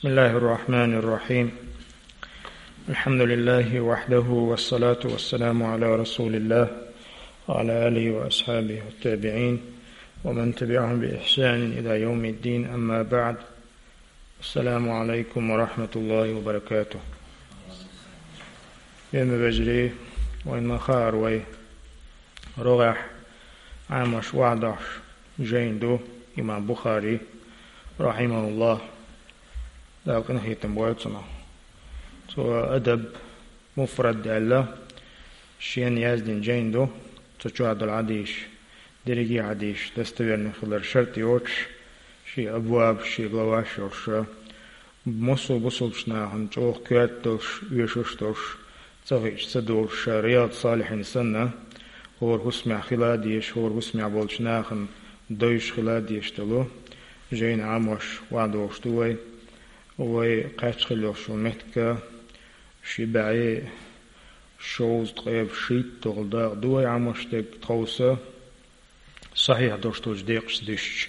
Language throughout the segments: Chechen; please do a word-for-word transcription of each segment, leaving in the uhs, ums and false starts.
بسم الله الرحمن الرحيم. الحمد لله وحده، والصلاة والسلام على رسول الله وعلى آله وأصحابه والتابعين ومن تبعهم بإحسان إلى يوم الدين، أما بعد. السلام عليكم ورحمة الله وبركاته. Йоьма вежарий, вайна ма хаара вай рогӀехь Ӏамош, охьадоахьаш жайна ду имам Бухари, рахьимахуллахӀ, Дала къинхетам бойла цунах. Цо Адаб муфрад аьлла, шена яздина жайна ду, цу чохь долу хьадисаш, дерриге а хьадисаш достоверный хилар шарт йоцуш, шен абвабаш, шен главаш йолуш, массо а бусалбачу нахана чӀогӀа коьрта долуш, оьшуш долуш, цӀа хиъча ца долуш, ша Рияд-салихьин санна, хӀора хӀусамехь хила а дезаш, хӀора хӀусамехь болчу нахана девзаш хила а дезаш долу жайна Ӏамош, охьадогӀуш ду вай. Вай кхаьчна хилла йолуш йолу меттиг ши бӀе шовзткъе шийтта долу дакъа ду вай Ӏамош дерг, тховса сахьихь долуш долчу декъашца дуьстича.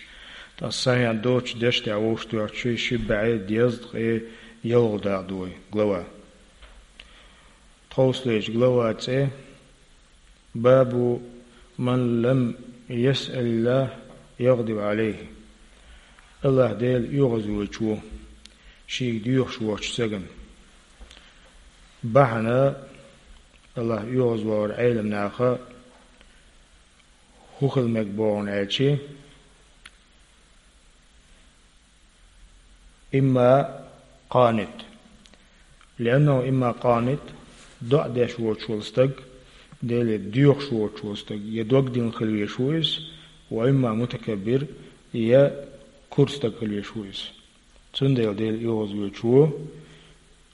Ткъа сахьихь доцучу дешна тӀехь вовшахтоьхча, ши бӀе дезткъе ялхалгӀа дакъа ду вай глава. Тховсалерчу глава цӀе: «Бабу ман лам ясъалиллахӀ ягӀдиб Ӏалайхи». АллахӀ Дела оьгӀазвоьдуш ву шега доьхуш воцучу стагана. Бахьана АллахӀ оьгӀазвахар Ӏеламнаха хӀун хила мега бохург аьлча, имма къанит. ЛианнахӀу имма къанит, доӀа деш воцуш волу стаг, Деле доьхуш воцуш волу стаг, я дог дина хила везаш ву иза, ва имма мутакаббир, я кура стаг хила везаш ву иза. Цундела Дела оьгӀазвоьдуш ву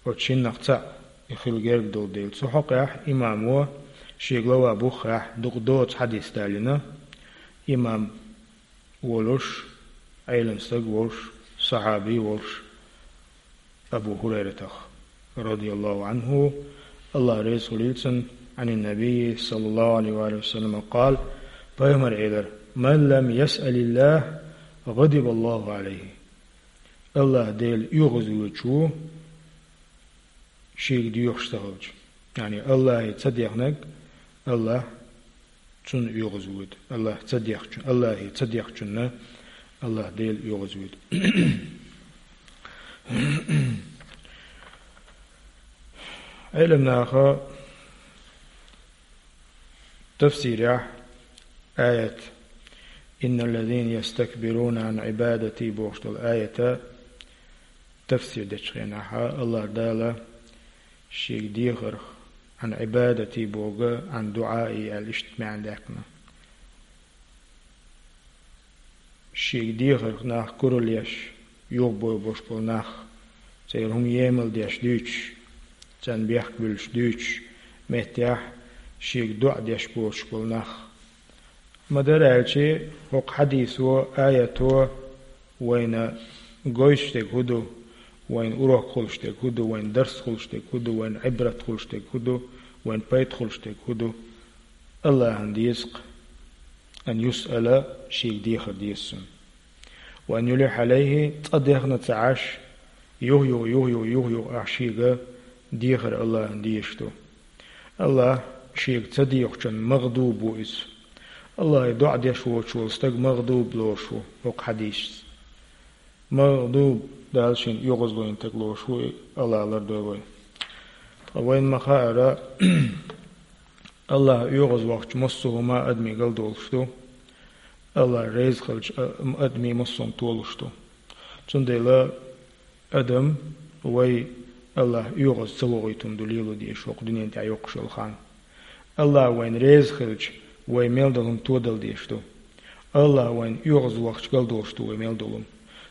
оцу шиннах цхьаъ, и хила герга долу дела. Цу хьокъехь имамо шен глава буххехь дукха доцу хьадис далийна. Имам волуш, Ӏелам стаг волуш, сахьаби волуш, Абу ХӀурайратах, радияллаху Ӏанху, АллахӀ реза хуьлийла цунна, Ӏанин Набийи, саллаллаху Ӏалайхи ва саллама, къала, пайхамара элира: «Ман лам ясъалиллахӀ, гӀадибаллаху Ӏалайхи». АллахӀ Дела оьгӀазвоьдуш ву, шега доьхуш ца хилча. Яъни АллахӀе ца дехнарг АллахӀ цунна оьгӀазвоьду. АллахӀ ца дехчун, АллахӀе ца дехчунна АллахӀ Дела оьгӀазвоьду. Ӏеламнаха тафсирехь аят, «Инналлазина ястакбируна Ӏан Ӏибадати» бохуш долу аята тафсир дечу хенахь, АллахӀ Дала шега дехарх, «Ӏан Ӏибадати» боху, «Ӏан дуӀаи» аьлла иштта маьӀна даьккхина. Шега дехарх нах куралла еш, юхабойбуш болу нах, церан хӀума емал деш дуьйцуш, царна бехк буьллуш дуьйцуш, меттехь шега доӀа деш боцуш болу нах. Ма-дарра аьлча, хӀокху хьадисо, аято вайна гойтуш дерг хӀун ду, вайна урок хуьлуш дерг хӀун ду, вайна дарс хуьлуш дерг хӀун ду, вайна Ӏибрат хуьлуш дерг хӀун ду, вайна пайда хуьлуш дерг хӀун ду? АллахӀана деза-кх, ан юсъала, шега дехар деза цунна. Ва ан юлихьа Ӏалайхи, цкъа дехна ца Ӏаш, юха-юха, юха-юха, юха-юха ахь шега дехар АллахӀана дезаш ду. АллахӀ шега ца дехачун магӀдуб ву иза. АллахӀе доӀа деш воцуш волу стаг магӀдуб лоруш ву хӀокху хьадисца. МагӀдуб, Дала шена оьгӀазлойн стаг лоруш ву и, АллахӀ лардойла вай. Ткъа вайна ма-хаъара, АллахӀ оьгӀазвахча массо а хӀума адамийн галдолуш ду, АллахӀ реза хилча, а, адамийн массо а хӀума толуш ду. Цундела адам вай АллахӀ оьгӀаз ца вохуьйтун ду лело дезаш хӀокху дуьнен тӀехь йоккхуш йолу хан. АллахӀ вайна реза хилча, вай мел долу хӀума тодала дезаш ду. АллахӀ вайна оьгӀазвахча галдолуш ду вай мел долу хӀума.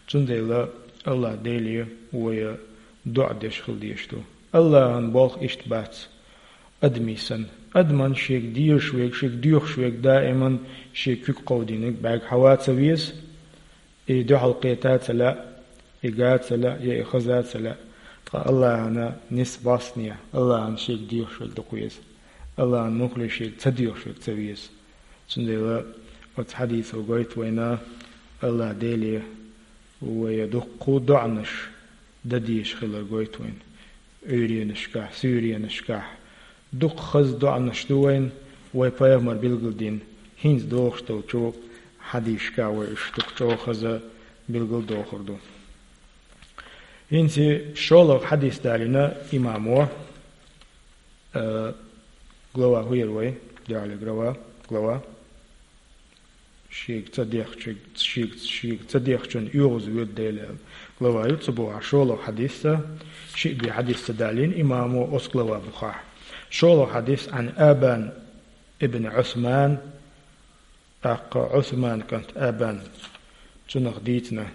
Цундела АллахӀ Деле вай доӀа деш хила дезаш ду. АллахӀан болх иштта бац адамийн санна. Адаман шега дезаш верг, шега доьхуш верг даиман шен куьг кховдийнарг бӀаьрг хьава ца веза, и дуьхьал кхета а ца лаьа, и га а ца лаьа, я и хаза а ца лаьа. Ткъа АллахӀана нисбалсане, АллахӀан шега доьхуш верг дукха веза. АллахӀан муххале шега ца доьхуш верг ца веза. Цундела оцу хьадисо гойту вайна, АллахӀ Деле вай дуккха доӀанаш дан дезаш хилар гойту вайна. Ӏуьйренашкахь, суьйренашкахь дукха хаза доӀанаш ду вайна, вай пайхамар билгалдина, хӀинца дохуш долчу хьадисашкахь вай уьш дукха чӀогӀа хаза билгалдохур ду. ХӀинца шолгӀа хьадис далийна имамо, э, глава хӀу яра вай, дуьхьал глава, глава. Шега ца дехча, шега, шега ца дехчунна оьгӀаз воьду Дела аьлла. Глава ю цу бухахь шолгӀа хьадис, шиъ бен хьадис ца далийна имамо оцу глава бухахь. ШолгӀа хьадис: «Ӏан Абан ибн Ӏусман», тӀаккха Ӏусман кӀант Абан, цунах дийцина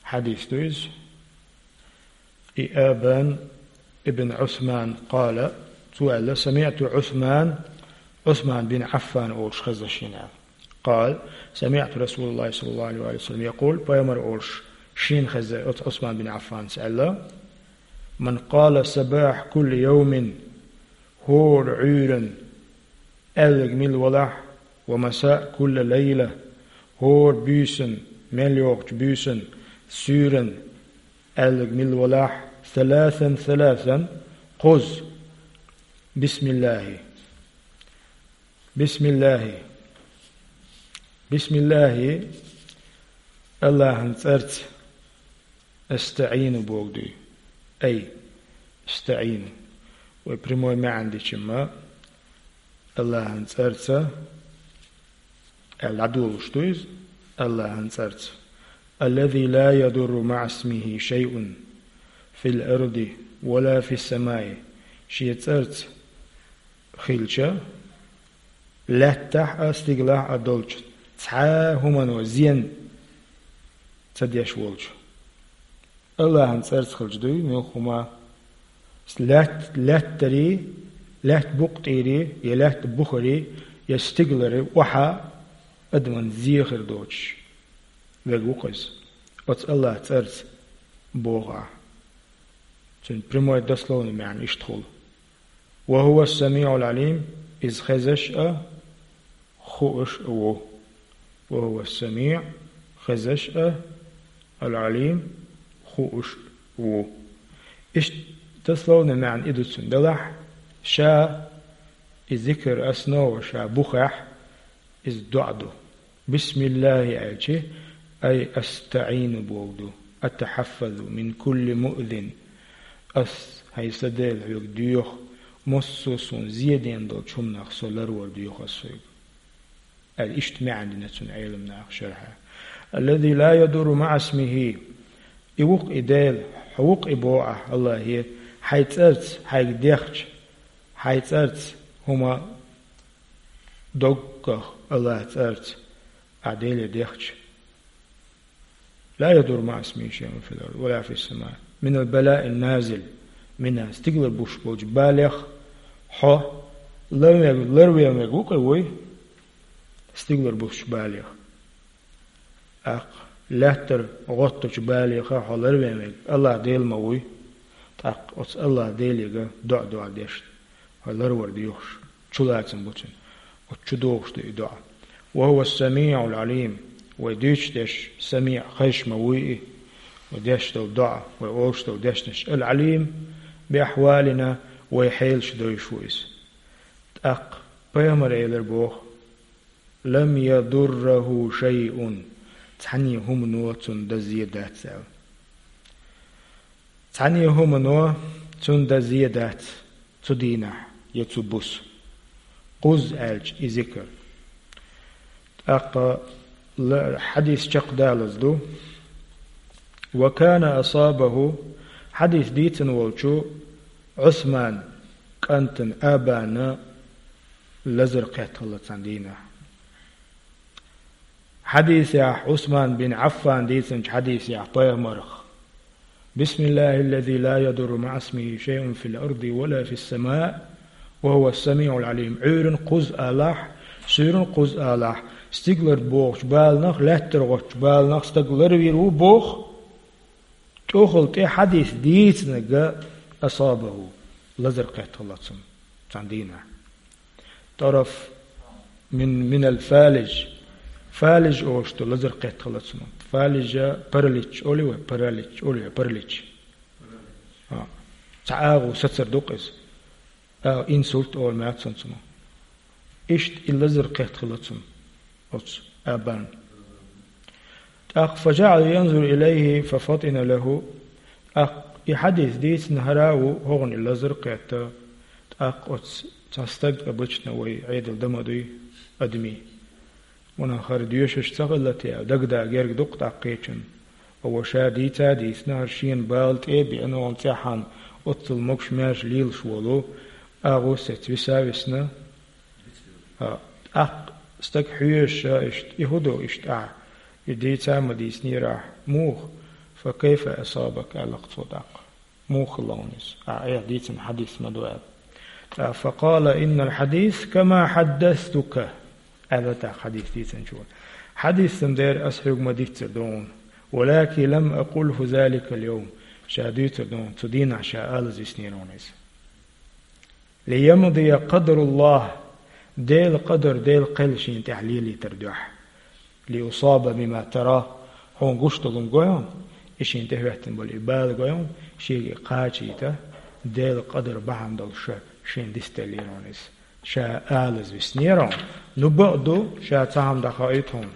хьадис ду иза. И Абан ибн Ӏусман къала, цо аьлла: «СамиӀту Ӏусман», Ӏусман бин Ӏаффан олуш хезна шена аьлла. Къала: «СамиӀту Расулаллахи саллаллаху Ӏалайхи ва саллам якъул», пайхамар олуш шена хезна оцу Ӏусман бин Ӏаффанца аьлла: «Ман къала сабахь кулли явмин», хӀора Ӏуьйранна аьлларг мила валахь, «ва масаъ кулла лайла», хӀора буьйсанна, мел йогӀучу буьйсанна, суьйранна аьлларг мила валахь, «саласан, саласан», кхузза: «Бисмиллахи, бисмиллахи, бисмиллахи», Аллахьан цӀарца, «астаӀину» боху дуй. Ай, «астаӀину». Вай прямой маьӀна дича-м, Аллахьан цӀарца аьлла дӀадолуш ду иза, Аллахьан цӀарца. «Аллази ла ядурру маӀа исмихи шайъун фил арди ва ла фис самаи». Шен цӀарца хилча, лаьттахь а, стигалахь а долчу цхьа а хӀумано зен ца деш волчу Аллахьан цӀарца хилча дуй муьлхха хӀума. Лаьтта, лаьттарий, лаьтта букъ тӀерий, я лаьтта бухарий, я стигаларий охьа адаман зен хир доцуш верг ву-кх иза. Оцу Аллахьан цӀарца боху ахь. Цуьнан прямой дословный маьӀна иштта хуьлу: «Ва хӀува ас-самиӀул Ӏалим», иза хезаш а, хууш а ву. «Ва хӀува ас-самиӀ», хезаш а, «ал-Ӏалим», хууш а ву. Иштта дословный маьӀна и ду цуьнан, делахь, ша и зикр, основа, ша бухахь, иза доӀа ду. «Бисмиллахи» аьлча, «ай астаӀину» боху ду, «атахьаффазу мин кулли муъзин». Ас, хьайн сан Дела, хьоьга доьху, массо а суна зен дина долчу хӀуманах со ларвар доьху ас хьоьга, аьлла, иштта маьӀна дина цуьнан Ӏеламнаха шархьа. «Аллази ла ядурру маӀа исмихи». И ву-кх и Дела, хьо ву-кх и боху ахь, Аллахье, хьайн цӀарца, хьайга дехча, хьайн цӀарца хӀума доггах, Аллахьан цӀарца ахь Деле дехча. «Ла ядурру маӀа исмихи шайъун фил арди ва ла фис сама». «Минал балаин назил». Мина, стигалара буьсуш болчу балех хьо ларвен, ларвен верг ву-кх и вуй, стигалара буьсучу балех. ТӀаккха лаьттара гӀоттучу балеха хьо ларвен верг Аллахь Дела ма вуй. ТӀаккха оцу Аллахь Делега доӀа дуьхьал деш, хьо ларвар доьхуш, чулацам бу цуьнан. Оцу чу догӀуш ду и доӀа. «Ва хӀува ас-самиӀул Ӏалим». Вай дуьйцуш дерш самиӀ, хезаш ма вуй и. Вай деш долу доӀа, вай олуш долу дешнаш, «ал-Ӏалим би ахьвалина», вай хьелаш дойуш ву иза. ТӀаккха пайхамар элира боху: «Лам ядурраху шайъун». Цхьаьнне хӀумано цунна дан зен дац аьлла. Цхьаьнне хӀумано цунна дан зен дац цу дийнахь я цу буса. Кхузза аьлча и зикр. ТӀаккха ла-, хьадис чекхдалаза ду. «Ва кана асабаху», хьадис дийцина волчу Ӏусман кӀантана Абана лазар кхетта хилла цхьана дийнахь. Хьадисехь, Ӏусман бин Ӏаффан дийцинчу хьадисехь пайхамарх: «Бисмиллахиллази ла ядурру маӀа исмихи шайъун фил арди ва ла фис самаи ва хӀува ас-самиӀул Ӏалим». Ӏуьйранна кхузза алахь, суьйранна кхузза алахь, стигалара богӀучу баланах, лаьттара гӀоттучу баланах стаг ларвийр ву боху. ТӀехула тӀе хьадис дийцинарг асабаху, лазар кхетта хилла цунна цхьана дийнахь. ТӀараф мин, минал фалиж. Фалиж олуш ду лазар кхетта хилла цунна. Фалижа паралич олий вай, паралич олий вай, паралич. А. Цхьа агӀо сацар ду-кх иза. А, инсульт олу маьӀна цунах. Иштта и лазар кхетта хилла цунна оцу Абана. ТӀаккха فجعل ينظر إليه ففطن له. ТӀаккха и хьадис дийцина хӀара а ву хӀокхунна и лазар кхетта. ТӀаккха оцу цхьа стаг, обычно вай Ӏедал дан ма дуй адамийн. Ванах хӀара доьшуш ца хилла те, дагадаа герга ду-кх тӀаккха кхечунна. Ава ша дийца а дийцина, хӀара шена бала тӀе а беана, оцу цӀеххьана оццул могуш-маьрша лелаш волу, агӀо сецна виса а висна. ТӀаккха стаг хьоьжуш а иштта, и хӀун ду иштта ахь, и дийца а ма дийцинера ахь, муха, فكيف أصابك, аьлла-кх цо тӀаккха. Муха хилла хьуна иза? Ахь айхьа дийцина хьадис ма ду аьлла. ТӀаккха فقال إن الحديث كما حدثتك, аьлла тӀаккха хьадис дийцинчо. Хьадис-м дера ас хьоьга ма-дийццара ду хьуна. ولكن لم أقله ذلك اليوم. Ша дуьйцур ду хьуна, цу дийнахь ша алаза виснера хьуна иза. ليمضي قدر الله, Делан къадар, Делан кхел шена тӀехь лелийтар дуьхьа. لأصاب بما ترى, хьуна гуш долу хӀума гой хьуна, и шена тӀехӀоьттина болу и бала гой хьуна, шега и кхачийта, Делан къадар бахьана долуш ша шена дицделлера хьуна иза. Ша алаза виснера хьуна. Ну бакъ ду, ша цхьа хӀума дӀахоуьйту хьуна.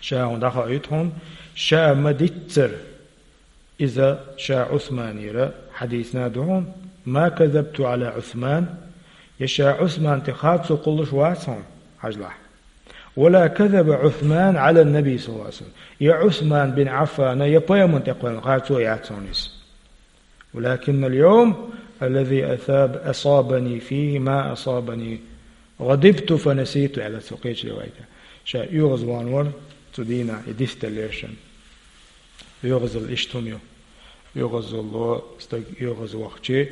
Ша хьуна дӀахоуьйту хьуна, ша ма-дийццара. Иза ша Ӏусманера хьадийцина ду хьуна, ما كذبت على عثمان, я ша Ӏусман тӀе харцо кхуллуш вац хьуна, хьажалахь. ولا كذب عثمان على النبي صلى الله عليه وسلم. Я Ӏусман бин Ӏаффана, я пайхамарна тӀе кхоьллина харцо яц хьуна иза. ولكن اليوم الذي أصاب-، أصابني فيه ما أصابني غضبت فنسيت, аьлла цо кхечу риваятехь. Ша оьгӀазвахна вара цу дийнахь, и дицделлера шена. ОьгӀазалла иштта хӀума ю. ОьгӀазалло, стаг оьгӀазвахча,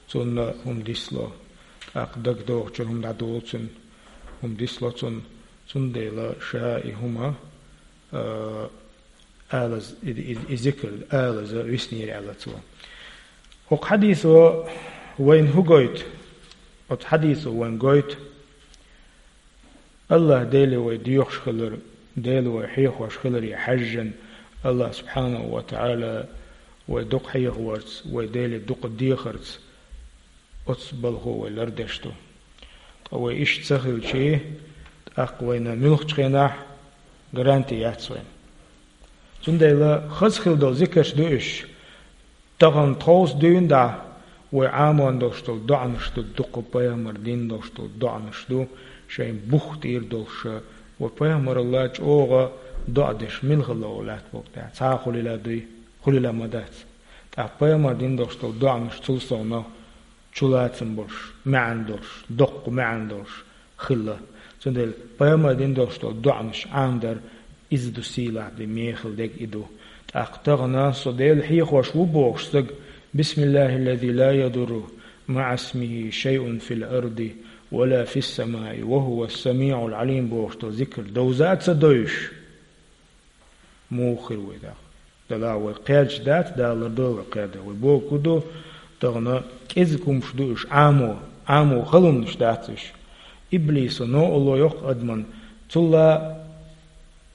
цунна хӀума дицло. ТӀаккха дагадогӀучуьра хӀума дӀадолу цунна, хӀума дицло цунна. Цундела ша и хӀума, а, алаза, и, и, и зикр алаза виснера аьлла цо. ХӀокху хьадисо вайна хӀун гойту? Оцу хьадисо вайна гойту, АллахӀ Деле вай доьхуш хилар, Дела вай хьехош хиларе хьаьжжина, АллахӀ субхьанаху ва таӀала вай дукха хьехаварца, вай Деле дукха дехарца, оцу балхо вай лардеш ду. Ткъа вай иштта ца хилча, тӀаккха вайна муьлххачу хенахь гаранти яц вайна. Цундела хаза хила долу зикарш ду уьш. Тахана тховса дуьйна дӀа вай Ӏаморна долуш долу доӀанаш ду, дукха пайхамара дина долуш долу доӀанаш ду, шайн бух тӀера долуш, вай пайхамаралла чӀогӀа доӀа деш мила хилла ву лаьтта боху тӀехь. Цхьа а хуьлийла дуй, хуьлийла ма дац. ТӀаккха пайхамара дина долуш долу доӀанаш цул совнаха чулацам болуш, маьӀна долуш, доккха маьӀна долуш хилла. Цундела пайхамара дина долуш долу доӀанаш Ӏамадар, иза ду сийлахь де мехала дег и ду. ТӀаккха тахана со Дела хьехош ву бохуш стаг, بسم الله الذي لا يضر مع اسمه شيء في الأرض ولا في السماء وهو السميع العليم бохуш долу зикр довза а ца довзуш, муха хир вай тӀаккха? Дала вай кхерча дац, Дала лардойла вай кхердар. Вай бохург ду, тахана кӀезиг хӀумаш ду уьш, Ӏамо, Ӏамо хала хӀуманаш дац уьш. Иблисо, новкъарло йоккху адаман, цулла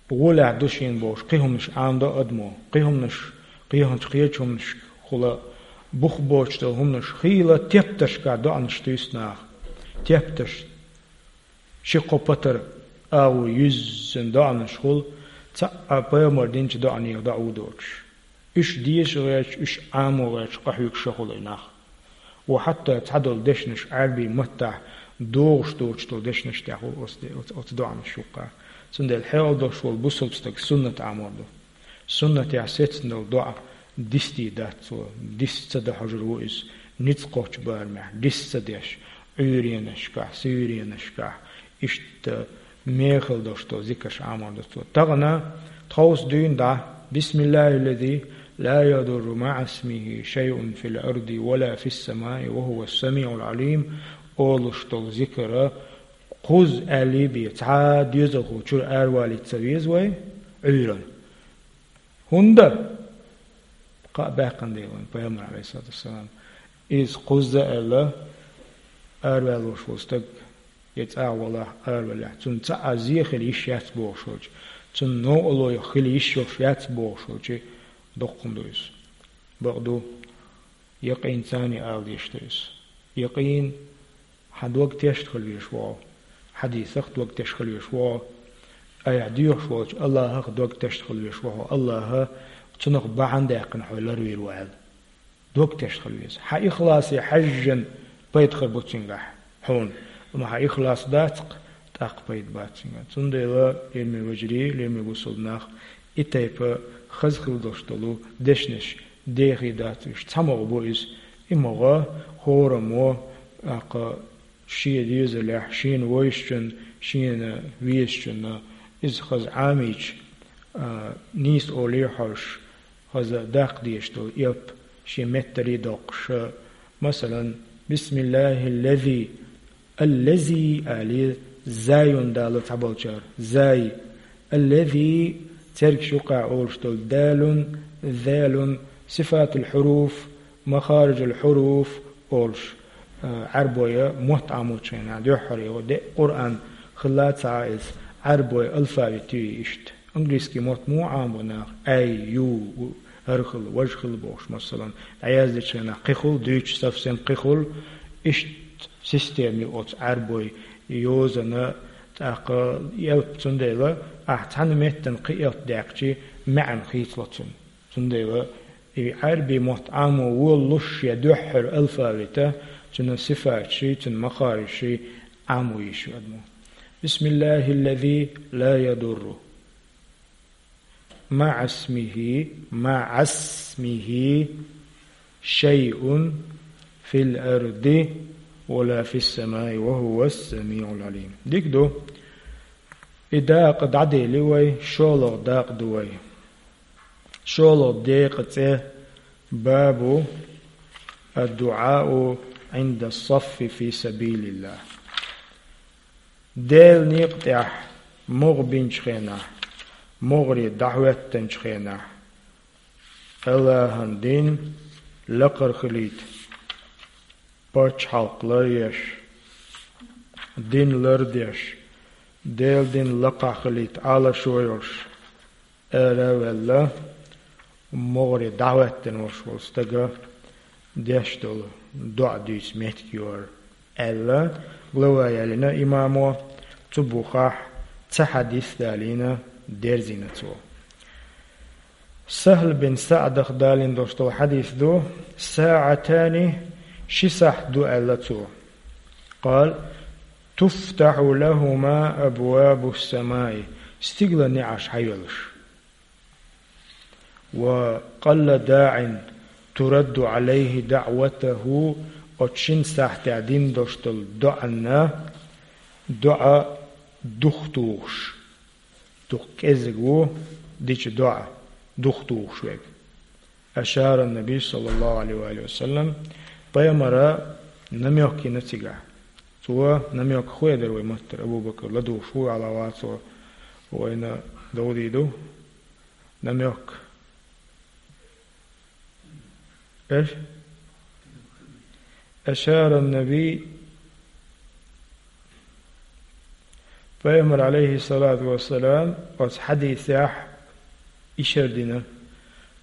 гӀолехь ду шена бохуш, кхин хӀуманаш Ӏамадо адамо, кхин хӀуманаш, кхечу хӀуманашкахула бух боцуш долу хӀуманаш, хийла тептаршкахь доӀанаш туьйсу наха. Тептарш. Ши-кхо патар агӀо юьззина доӀанаш хуьлу, цхьаъ пайхамара динчу доӀанех доӀа ву доцуш. Уьш деша гӀерташ, уьш Ӏамо гӀерташ къахьоьгуш ша хуьлу и нах. Ва хьатта цхьадолу дешнаш Ӏаьрбийн маттахь догӀуш доцуш долу дешнаш тӀехь хуьлу оцу де-, оцу, оцу доӀанаш юккъехь. Цундела хьекъал долуш волу бусалба стаг суннат Ӏамор ду. Суннатехь сецна долу доӀа дисте дац цо, дис ца дан хьожур ву иза, ницкъ кхочу барамехь, дис ца деш, Ӏуьйренашкахь, суьйренашкахь, иштта мехала долуш долу зикарш Ӏамор ду цо. Тахана тховса дуьйна дӀа, بسم الله الذي لا يضر مع اسمه شيء في الأرض ولا في السماء وهو السميع العليم олуш долу зикар кхузза аьллий бен, цхьа а доьзалхо чуьра аравалийта ца веза вай Ӏуьйранна. ХӀунда? Кхаъ баьккхина дела вайн пайхамар, Ӏалайхиссалату вассалам, иза кхузза аьлла, араваьллуш волу стаг, я цӀа а валахь, аравалахь, цунна цхьа а зе хила йиш яц бохуш волчу. Цунна новкъарло хила йиш йолуш яц бохуш волчу доккхун ду иза. Бакъ ду, якъин царна ала дезаш ду иза. Якъин хьан дог тешна хила везаш ву хьо, хьадисах дог тешна хила везаш ву хьо, айхьа доьхуш волчу Аллахах дог тешна хила везаш ву хьо, Аллаха цунах бахьана даьккхина хьо ларвийр ву аьлла. Дог тешна хила веза. Хьан ихласе хьаьжжина пайда хир бу цуьнгахь хьуна. Амма хьан ихлас дацахь, тӀаккха пайда бац цуьнгахь. Цундела, лераме вежарий, лераме бусалба нах, и тайпа хаза хила долуш долу дешнаш дехий дац уьш. Цхьа могӀа бу иза. И могӀа хӀораммо, тӀаккха шен доьзалехь, шена вевзачунна, шена везачунна иза хаза Ӏамийча, а, нийса олий хьожуш, хаза даккха дезаш долу элп шен меттале доккхуш, масалан, «Бисмиллахиллази», «аллази» али, заюн дало цхьаболчара, зай, «аллази», цергаш юккъехь олуш долу далун, залун, сифатул хьуруф, махариджул хьуруф олуш, а, Ӏарбойн мотт Ӏамочу хенахь дуьххьара, де Къуръан хилла ца Ӏа иза, Ӏарбойн алфавит ю иштта. Английский мотт муха Ӏамабо наха? Ай, ю, у, хӀара хила, важа хила бохуш, масалан, дӀаяздечу хенахь кхин хуьлу, дуьйцуш совсем кхин хуьлу, иштта система ю оцу Ӏарбойн йозанан, тӀаккха элп. Цундела ахь цхьана меттана кхин элп даьккхичи, маьӀна хийцало цуьнан. Цундела и Ӏарбойн мотт Ӏамо волалуш я дуьххьара алфавита, цуьнан сифаташи, цуьнан махарижаши Ӏамо йиш ю адамо. «Бисмиллахиллази ла ядурру маӀасмихи, маӀасмихи шайъун фил арди ва ла фис самаи ва хӀувас самиӀул Ӏалим». Дика ду. И дакъа дӀадели вай, шолгӀа дакъа ду вай. ШолгӀа декъан цӀе: «Бабу ад-дуӀау Ӏинда ас-саффи фи сабилиллах». Делан некъа тӀехь могӀа бинчу хенахь, могӀаре дӀахӀоьттинчу хенахь, Аллахьан дин лакхара хилийта, пачхьалкх ларъеш, дин лардеш, Делан дин лакхахь хилийта Ӏалашо йолуш, ара а ваьлла, могӀаре дӀахӀоьттина волуш волу стага деш долу доӀа дуьйцу меттиг ю хӀара, аьлла, глава ялийна имамо, цу бухахь цхьа хьадис далийна, дерзийна цо. Сахьл бин СаӀдах далийна долуш долу хьадис ду: «СаӀатани», ши сахьт ду, аьлла цо. Къала: «Туфтахьу лахума абвабу ссамаи», стигалан неӀарш хьайоьллуш. «Ва къалла даӀин турадду Ӏалайхи даӀватуху», оцу шина сахьтехь дина долуш долу доӀанна, доӀа духтухуш. Дукха кӀезиг ву дича доӀа духтухуш верг. Ашара Наби, саллаллаху Ӏалайхи ва алихи ва саллам, пайхамара намёк йина цигахь. Цо намёк хуьйцура вай маттара, Абу Бакр ладугӀуш ву, Ӏала вацо вайна довдийр ду. Намёк. Эш? Ашара Наби, пайхамар, алейхиссалату вассалам, оцу хьадисехь ишар дина,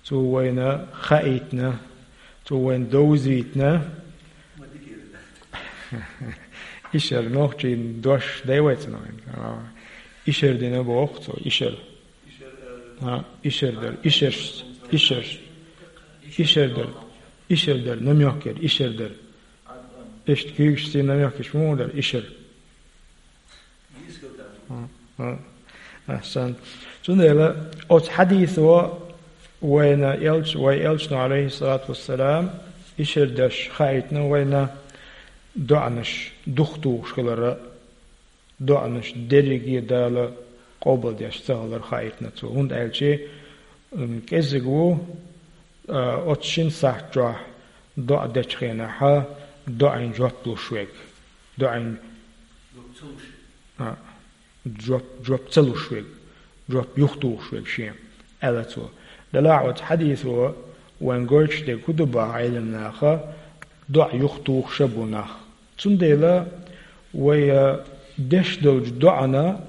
цо вайна хаийтина, цо вайна довзийтина. Ишар нохчийн дош дай вайца нохчийн. Ишар дина боху цо, ишар. А, ишар дар, ишар, ишар, ишар дар, ишар дар, намёк яр, ишар дар. Иштта куьйгаш сий намёк иш муха дар, ишар. А, а, ахсан. Цундела оцу хьадисо вайна элч-, вай элчано, алейхиссалату вассалам, ишар даш хаийтина вайна доӀанаш духтухуш хилара. ДоӀанаш дерриге Дала къобалдеш ца хилар хаийтина цо. ХӀунда аьлча, м, кӀезиг ву, а, оцу шина сахьт чохь доӀа дечу хенахьа, доӀин жоп луш верг. ДоӀин, а, жоп, жоп ца луш верг, жоп юхатухуш верг шен, аьлла цо. Делахь оцу хьадисо вайн гойтуш дерг хӀун ду бахьа Ӏеламнаха, доӀа юхатухуш а бу нах. Цундела вай, а, деш долчу доӀана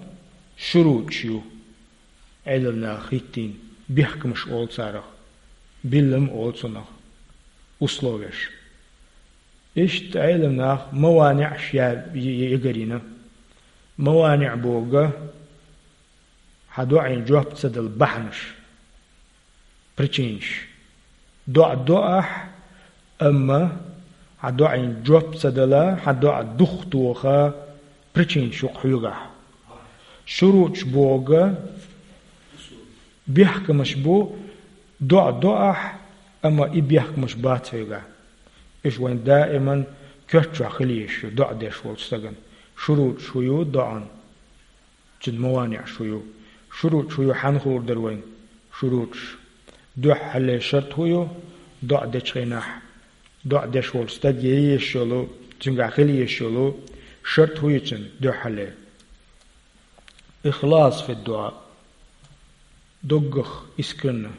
шуруташ ю. Ӏелам наха хӀиттийна, бехкамаш олу царах, биллам олу цунах, условеш. Иштта Ӏелам наха маваниӀаш я-, я-, ягарийна. МаваниӀ боху хьан доӀийн жоп ца дала бахьанаш, причинаш. ДоӀа до ахь, амма хьан доӀийн жоп ца дала, хьан доӀа духтоха причинаш ю-кх хьоьгахь. ШурутӀаш боху бехкамаш бу, доӀа до ахь, амма и бехкамаш бац хьоьгахь. Уьш вайн даиман коьрта чохь хила езаш ю, доӀа деш волчу стагана. ШурутӀаш хӀун ю доӀан? Цуьнан маваниӀаш хӀун ю? ШурутӀаш хӀун ю, хьанна хуур дара вайна шурутӀаш? Дуьххьарле шарт хӀун ю, доӀа дечу хенахь, доӀа деш волчу стаг е езаш йолу, цуьнгахь хила езаш йолу шарт хӀун ю цуьнан дуьххьарле? Ихлас фи дуӀа. Доггах, искренне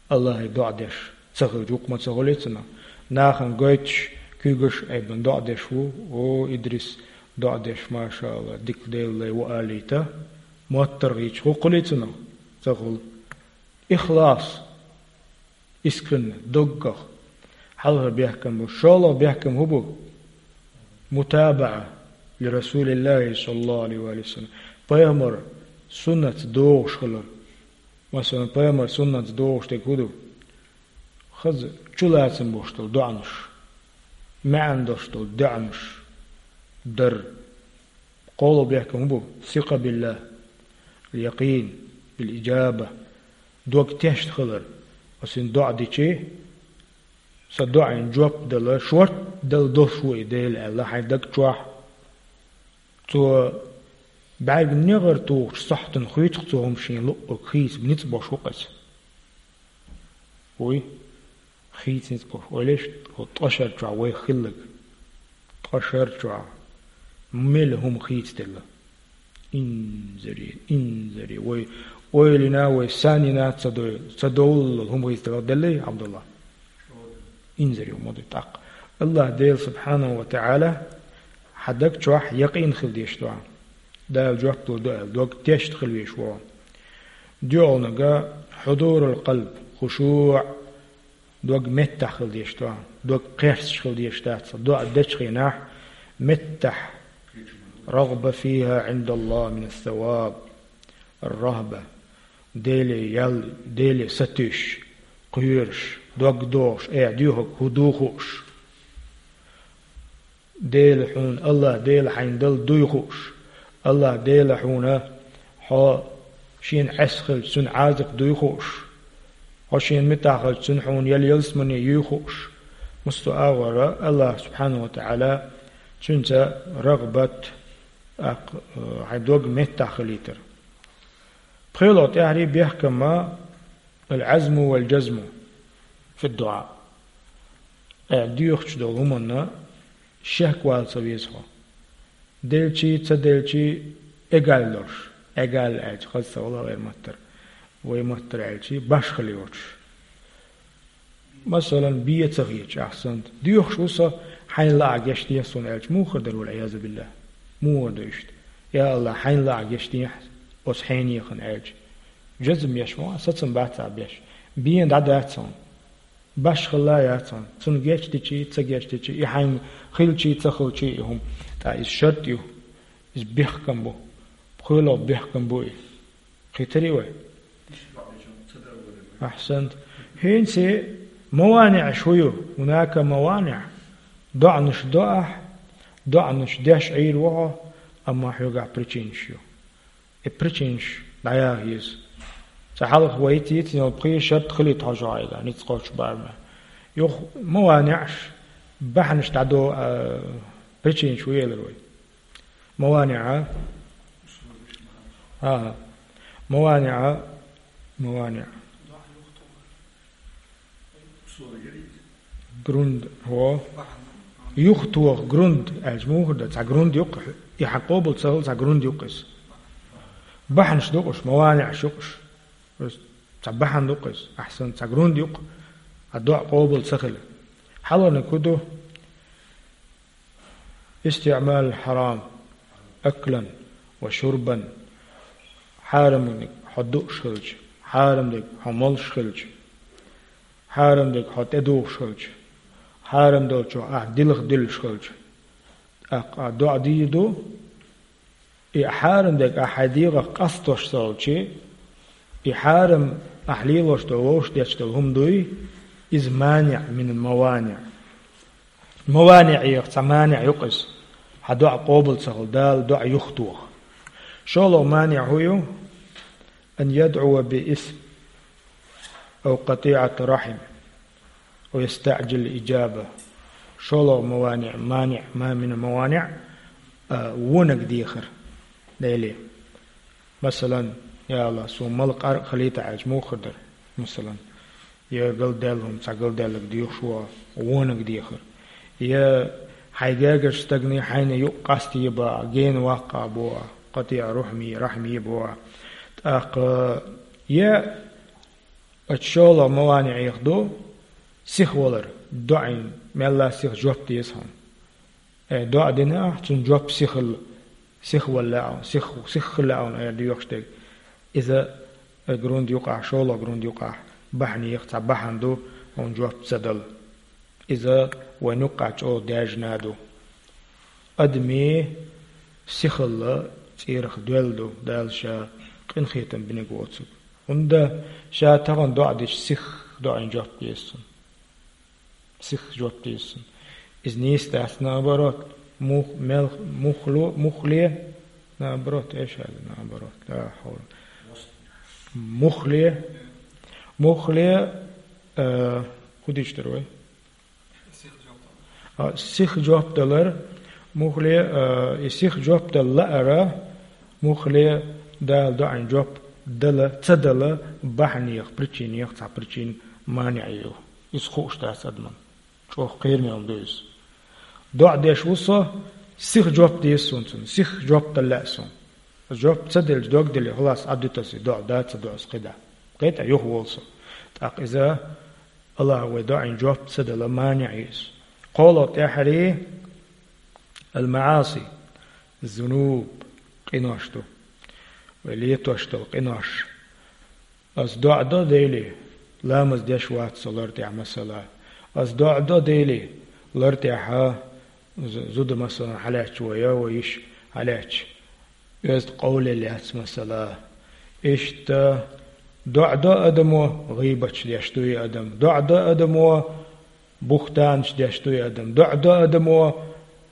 Аллахье доӀа деш ца хилча, вукху ма ца хуьлий цунах. Нахана гойтуш, куьйгаш а айбина доӀа деш ву: «О, Идрис, доӀа деш, машаАллахӀ, дика Делан лай ву», — алийта, моттаргӀа йича, хӀун хуьлий цунах? Ца хуьлу. Ихлас, искренне, доггах. Хьалхара бехкам бу. ШолгӀа бехкам хӀун бу? МутабаӀа ли РасулиллахӀи, саллаллахӀу ӀалайхӀи ва саллам. Пайхамар суннатца догӀуш хилар. Масала, пайхамар суннатца догӀуш дерг хӀун ду? Хаза чулацам болуш долу доӀанаш, маьӀна долуш долу доӀанаш дар. КхоалгӀа бехкам хӀун бу? Сикъа биллахӀ, якъин бил иджаба, дог тешна хилар. Аса доӀа дичи, сан доӀийн жоп дала, шорта дала долуш ву и Дела аьлла хьайн даг чохь. Цо бӀаьрг негӀар тухучу сохьтана хуьйцу-кх цо хӀума шена луъург, хийца ницкъ болуш ву-кх иза. Вуй, хийца ницкъ болуш. Ойла еш, хӀокху ткъа шар чохь вай хилларг. Ткъа шар чохь мел хӀума хийцаделла. Инзаре, инзаре. Вай ойла йина, вай санна йина ца дой-, ца довллал хӀума хийцаделла, деллий, Ӏабдулла? Инзаре ма ду тӀаккха. АллахӀ Дела субхьанаху ва таӀала хьан даг чохь якъин хила дезаш ду хьан. Дала жоп лур ду аьлла, дог тешна хила везаш ву хьо. ДоьалгӀаниг хьудурул къалб, хушуӀ, дог меттахь хила дезаш ду хьан. Дог кхерсташ хила дезаш дац, доӀа дечу хенахь меттахь. РагӀба фихӀа ӀиндаллахӀ минас саваб. РагӀба. Деле ял, Деле сатуьйсуш, кхоьруш, дог дохуш, э, доьхург хӀун ду хууш. Дела хьуна, АллахӀ Дела хьайна дала дуй хууш. АллахӀ Дела хьуна хьо шена Ӏеса хилча, цуьнан Ӏазап дуй хууш. Хьо шена муьтӀахь хилча, цуьнан хьуна ял ялсамане юй хууш. Массо а агӀора АллахӀ субхьанаху ва таӀала цуьнца рагӀбат, тӀаккха, э, хьайн дог меттахь хилийтар. ПхоьалгӀа тӀаьхьарий бехкам ал-Ӏазму вал-джазму фи дуӀа. Э, доьхуш долу хӀуманна шек вала ца веза хьо. Делчий, ца делчий, эгал долуш. Эгал аьлча, хаза ца хуьлу вайн маттара. Вайн маттара аьлча, башхалла йоцуш. Масалан, бен ца хеташ, ахь санна, доьхуш ву со, хьайна лаахь гечдехьа суна аьлча, муха хир дара, вал-Ӏиязу биллахӀ? Муха хир ду иштта? Я АллахӀ, хьайна лаахь гечдехьа оцу хьенехана аьлча. Джазм еш ма вац, сацам бац ахь беш. Бен дӀадац хьуна. Башхалла яц хьуна. Цунна гечдичий, ца гечдичий, и хьайна хилчий, ца хилчий и хӀума. ТӀаккха иза шарт ю. Иза бехкам бу. ПхоьалгӀа бехкам бу и. Кхийтарий вай? Ахьсант. ХӀинца маваниӀаш хӀун ю? ХӀунака маваниӀ. ДоӀанаш до ахь, доӀанаш деш Ӏийр ву хьо, амма хьоьгахь причинаш ю. И причинаш дӀаяха еза. Цкъа хьалха вай йицйина йолу пхи шарт хилийта хьожа хьайга, ницкъ кхочу барамехь. Юха маваниӀаш, бахьанаш дӀадо, а, причинаш ву элира вай. МаваниӀа. ХӀан-хӀа. МаваниӀа. МаваниӀ. Грунд, хӀо. Юхатоха грунд аьлча муха ду? Цхьа грунд ю-кх, и хьан къобал ца хила, цхьа грунд ю-кх иза. Бахьанаш ду-кх уьш, маваниӀаш ю-кх уьш. Цхьа бахьана ду-кх иза. Ахьсант, цхьа грунд ю-кх, хьан доӀа къобал ца хила. Хьалхарниг хӀун ду? استعمال الحرام أكلا وشربا. Хьарамниг хьо дууш хилча, хьарам дерг хьо молуш хилча, хьарам дерг хьо тӀедухуш хилча, хьарам долчух ахь дилха дуьллуш хилча, тӀаккха ахь доӀа дийр ду, и хьарам дерг ахь хьайн дегӀах къастош ца хилча, и хьарам ахь лелош долу, вовшах детташ долу хӀума дуй, иза маниӀ минал маваниӀ. МаваниӀех цхьа маниӀ ю-кх иза, хьан доӀа къобал ца хила, Дала доӀа юхатоха. ШолгӀа маниӀ хӀун ю? أن يدعو باسم أو قطيعة رحم ويستعجل الإجابة. ШолгӀа маваниӀ, маниӀ, ма мина маваниӀ, а, вониг дехар Деле. Масалан, я АллахӀ, суна мала къаркъа хилийта аьлча, муха хир дара? Масалан, я галдаьлла хӀума, цхьа галдаьлларг доьхуш ву, вониг дехар. Я хьайн гергарчу стагана хьайна юкъ къастае боху, гена ваккха боху, къатиӀа рухьми, рахьми боху. ТӀаккха я оцу шолгӀа маваниӀех ду сиха валар, доӀин мелла сиха жоп деза хьуна. Э, доӀа дина ахь, цунна жоп сихалла, сиха вала лаьа хьуна, сих-, сиха хила лаьа хьуна эр доьхуш дерг. Иза, э, грунт юкъахь, шолгӀа грунт юкъахь, бахьанех цхьа бахьана ду, хьуна жоп ца дала. Иза вайн юккъахь чӀогӀа даьржина ду. Адамийн сихалла цӀерах доьлла ду, Дала Ша къинхетам бинарг воцург. ХӀунда Ша тахана доӀа дича сиха доӀин жоп деза цунна. Сиха жоп деза цунна. Иза нийса дац, наоборот. Мух-, мел-, мухло-, мухле, наоборот, эш аьлла, наоборот. Ла хьавла. Мухле, мухле, э, хӀун дийш дара вай? А, сиха жоп далар, мухле, а, и сиха жоп дала лаара, мухле Дала доӀин жоп дала, ца дала, бахьанех, причинех, цхьа причин маниӀ ю. Иза хууш дац адамна. ЧӀогӀа кхераме хӀума ду иза. ДоӀа деш ву со, сиха жоп деза суна цунна, сиха жоп дала лаьа суна. Жоп ца делча, дог деле, халас, Ӏадда таса, доӀа да, ца доӀа, аса кхидӀа. Кхетта юха волу со. ТӀаккха иза АллахӀа вай доӀин жоп ца дала маниӀ ю иза. КхоалгӀа тӀаьххьара ал-маӀаси, зунуб, къинош ду. Вай летош долу къинош. Ас доӀа до Деле, ламаз деш вац со лар тӀехь масала. Ас доӀа до Деле, лар тӀехьа з-, зуда масалан хьалаьцча вай, я вай йиш хьалаьцча. Оьзда къовле лаьцна масала. Иштта доӀа до адамо, гӀийбаташ деш дуй адам. ДоӀа до адамо, бухтанаш деш дуй адам. ДоӀа до адамо,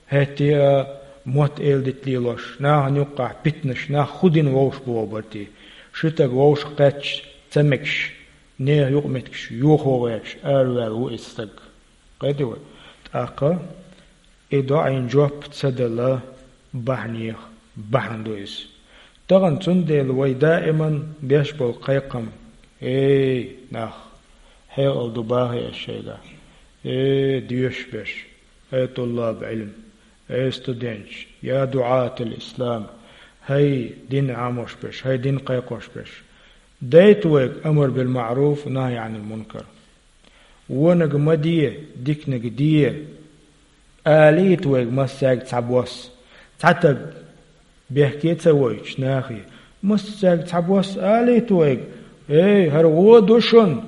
хӀетте а мотт эладита лелош, нахана юккъахь питанаш, нах хӀун дина вовшах боху барти. Ши стаг вовшах кхаьчча, ца мегаш, нехан юкъаметтигаш йохо гӀерташ, араваьлла ву иза стаг. Кхетий вай? ТӀаккха и доӀин жоп ца дала бахьанех бахьана ду иза. Тахана цундела вай даиман деш болу кхайкхам: «Эй, нах, хьекъал ду бахий аш шайгахь? Эй, доьшуш берш, эй, туллаб Ӏилм, эй, студенташ, я дуӀатал ислам, хӀай дин Ӏамош берш, хӀай дин кхайкхош берш, дайта вайга амр бил маъруф, нахьи Ӏанил мункар». Вониг ма де, диканиг де, алийта вайга массаьрга цхьа бос. Цхьа таг бехке а ца войтуш нахе, массаьрга цхьа бос алийта вайга: «Эй, хӀара вон ду шуна,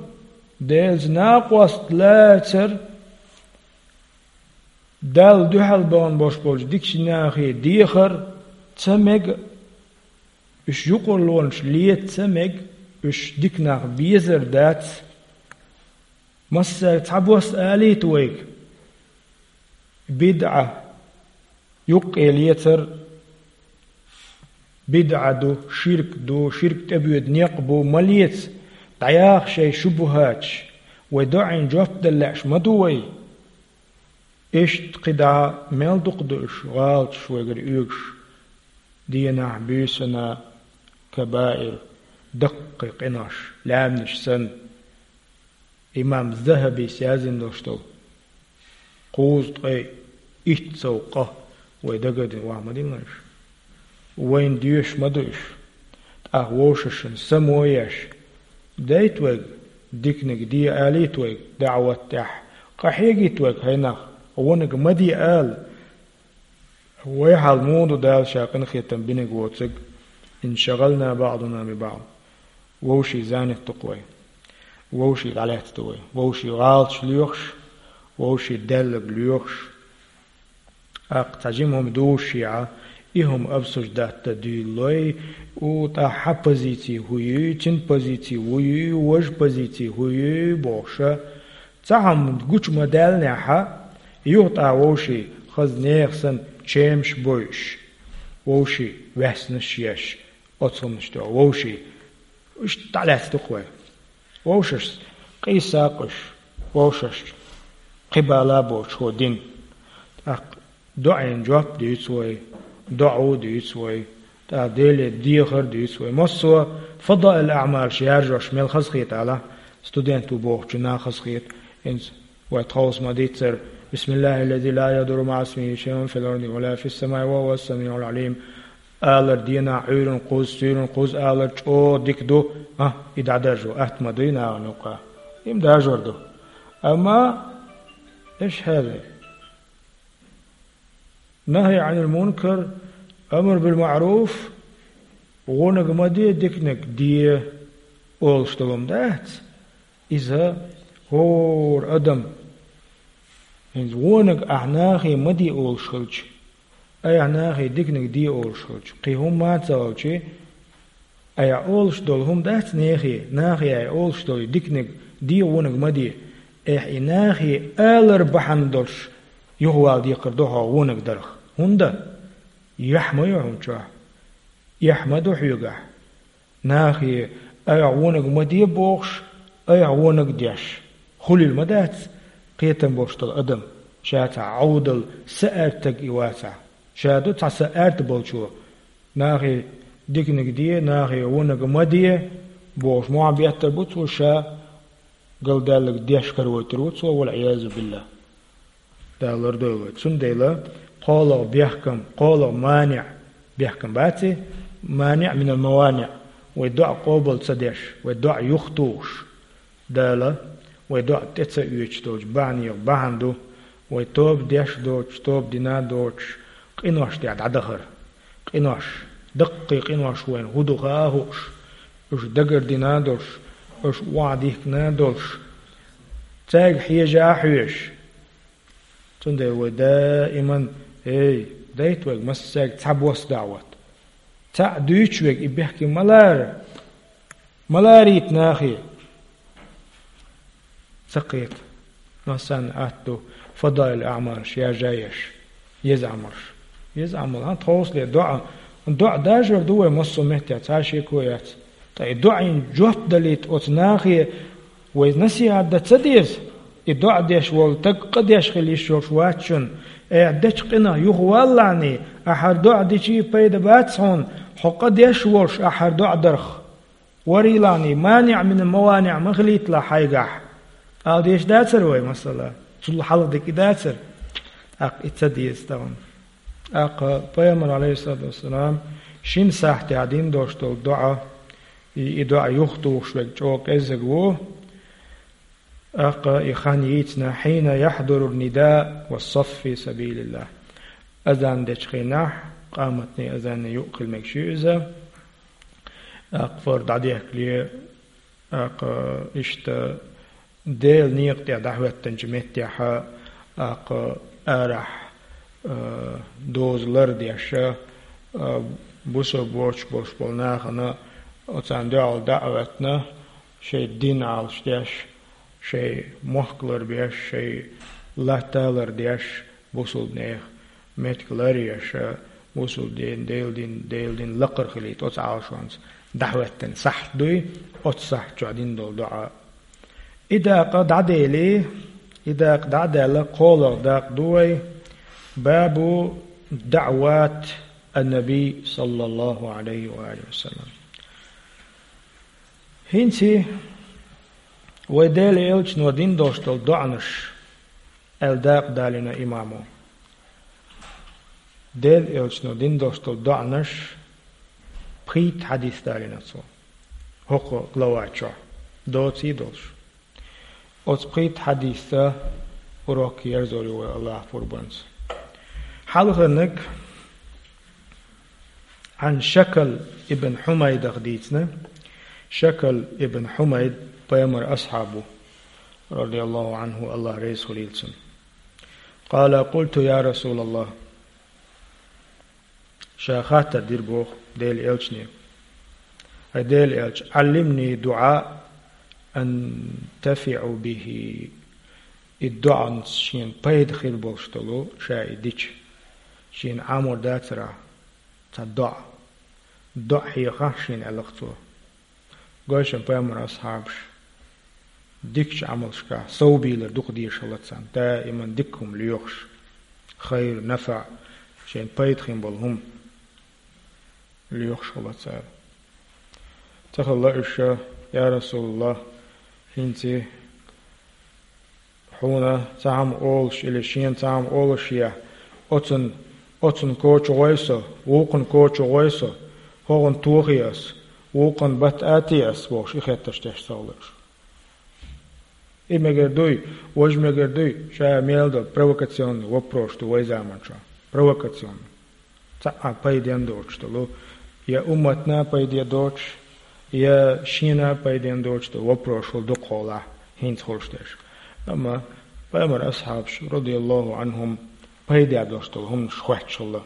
Делаца накъост лацар, Далла дуьхьал бахана бош болчу дикачу нахе дехар ца мега». Уьш юкъарлонаш леца ца мега, уьш дика нах безар дац. Массаьрга цхьа бос алийта вайга: бидӀа юккъе лецар, бидӀа ду, ширк ду, ширк тӀебоьду некъ бу, ма леца, дӀаяха шайн шубухӀаташ, вай доӀин жоп дала лаьаш ма ду вай. Иштта кхидӀа мел дукха ду уьш, гӀалаташ вайгара оьгуш, дийнахь, буьйсанна, кабаир, даккхий къинош, лаьмнаш санна. Имам ЗахӀабис яздина долуш долу кхузткъе итт сов къа вай дагардина ваха ма дилла уьш. Вайна доьшуш ма ду уьш. ТӀаккха вовшашна само еш, дайта вайга, диканиг де алийта вайга, даӀват тӀехь къахьегийта вайга, хӀай нах, вониг ма де ала. Вай хьал муха ду Дала Ша къинхетам бинарг воцург? «Иншагъална баъдуна би баъд». Вовшийн занят ду-кх вай. Вовшийн дӀалаьцна ду вай. Вовшийн гӀалаташ лоьхуш, вовшийн даьлларг лоьхуш. ТӀаккха цхьа жима хӀума дувшшехь, и хӀума обсуждать дан дуьйлалой, у, тӀаккха хьа позици хӀу ю, цуьнан позици хӀу ю, важа позици хӀу ю бохуш. Цхьа хӀума гучу ма-даьллинехь, юха тӀаккха вовшийн хаза нехан санна чемаш бойуш, вовшийн ваьснаш еш, оцу хӀуманаш тӀехь вовшийн иштта дӀалаьцна ду-кх вай. Вовшашца къийсакъ уьш, вовшашца кхин бала боцуш хӀу дина. ТӀаккха доӀийн жоп дуьйцу вай, доӀа дуьйцу вай, тӀаккха Деле дехар дуьйцу вай. Массо а фадаил аӀмалаш яржош мел хазахета аьлла, студент ву бохучунна хазахета, хӀинца вай тховса ма-дийццара: «بسم الله الذي لا يضر مع اسمه شيء في الأرض ولا في السماء وهو السميع العليم». Алар денахь Ӏуьйранна кхузза, суьйранна кхузза алар чӀогӀа дика ду, а, и дӀадаржо атта ма дуй нахана юккъехь. И-м даржор ду. Амма, эш хьаьрра. نهي عن المنكر، أمر بالمعروف, вониг ма де, диканиг де олуш долу хӀума дац. Иза хӀора адам, хӀинца вониг ахь нахе ма де олуш хилча, айхьа нахе диканиг де олуш хилча, кхин хӀумма а ца хилча, айхьа олуш долу хӀума дац нахе, нахе айхьа олуш долу диканиг де, вониг ма де. Айхьа и нахе алар бахьана долуш юхавала декхар ду хьо вониг дарх. ХӀунда? Яхь ма ю хьуна чохь. Эхь ма ду хьоьгахь. Нахе айхьа вониг ма де бохуш, айхьа вониг деш, хуьлийла ма дац кхетам болуш долу адам, ша цхьа Ӏовдал са аьрттаг и вацахь. Ша ду цхьа са аьрта болчо, нахе диканиг де, нахе вониг ма де бохуш, мохь беттар бу цо, ша галдаьлларг деш каравойтур ву цо, валӀиязу биллахӀ. Дала лардойла вай. Цундела кхоалгӀа бехкам, кхоалгӀа маниӀ, бехкам бац и, маниӀ минал маваниӀ, вай доӀа къобал ца деш, вай доӀа юхатухуш, Дала вай доӀа тӀе ца оьцуш долчу бахьанех бахьана ду, вай тоба деш а доцуш, тоба дина а доцуш, къинош тӀехь дӀадахар. Къинош, даккхий къинош вайна хӀун ду хаа а хууш, уьш дагардина а долуш, уьш охьадихкина а долуш, цаьрга хьежа а хьоьжуш. Цундела вай даиман, эй, дайта вайга массаьрга цхьабосса даӀват. Цхьаъ дуьйцуш верг и бехке ма лара, ма ларийта нахе. Ца кхета. Массарна атта ду фадаил аӀмалаш яржа а еш. Еза Ӏамалш. Еза Ӏамал, хьан тховсале доӀа. ДоӀа даржор ду вай массо а меттехь, цхьа а шеко яц. Ткъа и доӀийн жоп далийта оцу нахе вай насихьат дан ца деза. И доӀа деш волу стаг къа деш хила йиш йолуш вац шуна. Айхьа дечу къинах юхавалалахьний, ахьара доӀа дичий пайда бац хьуна, хьо къа деш волуш ахьара доӀа дарх. Варийлахьний, маниӀ минал маваниӀ ма хилийталахь хьайгахь. Ала дезаш дацара вай, масала, цул хьалха дика и дацара. ТӀаккха и ца деза тахана. ТӀаккха Пайхамар, Ӏалайхиссалату вассалам, шина сахьтехь дина долуш долу доӀа, и, и доӀа юхатухуш верг чӀогӀа кӀеззиг ву. ТӀаккха и хан йийцина: «حين يحضر النداء والصف في سبيل الله». Азан дечу хенахь, къаматний, азанний юкъ хила мегаш ю иза. ТӀаккха фард дӀадехкале, тӀаккха иштта Делан некъа тӀе дӀахӀоьттинчу меттехь, тӀаккха арахь, а, доза лардеш, а, бусалба воцуш болуш болу нахана оцарна дуьхьал дӀа а хӀоьттина, шайн дин Ӏалаш деш, шайн мохк ларбеш, шайн латта лардеш, бусалба нехан меттиг ларъеш, бусалба дин, Делан дин, Делан дин лакхара хилийта оцу Ӏалашонца дӀахӀоьттина сахьт дуй, оцу сахьт чохь дина долу доӀа. И дакъа дӀадели, и дакъа дӀа а даьлла, кхоалгӀа дакъа ду вай: «Бабу даӀват ан-Наби саллаллаху Ӏалайхи ва алихи ва саллам». ХӀинца вай Делан элчано дина долуш долу доӀанаш аьлла дакъа далийна имамо. Делан элчано дина долуш долу доӀанаш пхийтта хьадис далийна цо. ХӀокху глава чохь доций долуш. Оцу пхийтта хьадисца урок ерзор ю вай, Аллахь пурбанца. Хьалхарниг Ӏан Шакал ибн Хьумайдах дийцина: Шакал ибн Хьумайд пайхамар асхьаб ву, радияллаху Ӏанху, Аллах реза хуьлийла цунна. Къала: «Къулту, я Расулаллах». Ша хаттар дира боху Делан элчане: «Ай Делан элча, Ӏаллимни дуӀа антафиӀу бихи». И доӀанца шена пайда хир болуш долу, ша и дича, шена Ӏамор дацара цхьа доӀа. ДоӀа хьехахь шена, аьлла-кх цо. Гой шуна, пайхамар асхьабаш дикачу Ӏамалшкахь совбийлар дукха дезаш хилла царна, даиман дика хӀума лоьхуш, хайр, нафаӀ, шайна пайда хин болу хӀума лоьхуш хилла цара. Ца хилла уьш: «Я Расулаллах, хӀинца хьуна цхьа хӀума олуш или шена цхьа хӀума олуш я, оцун, оцун коча гӀой со, вукхун коча гӀой со, хӀогӀун тохий ас, вукхун батта атий ас», — бохуш, и хеттарш деш ца хилла уьш. И мегар дуй, важа мегар дуй, ша мел долу провокационный вопрос ду вай заманчохь. Провокационный. Цхьа а пайден доцуш долу, я умматна пайде доцуш, я шена пайден доцуш долу вопрос хӀума дукха хьолахь хӀинца хуьлуш дерш. Амма пайхамар асхьабаш, радияллаху Ӏанхум, пайда долуш долу хӀуманаш хоьттуш хилла.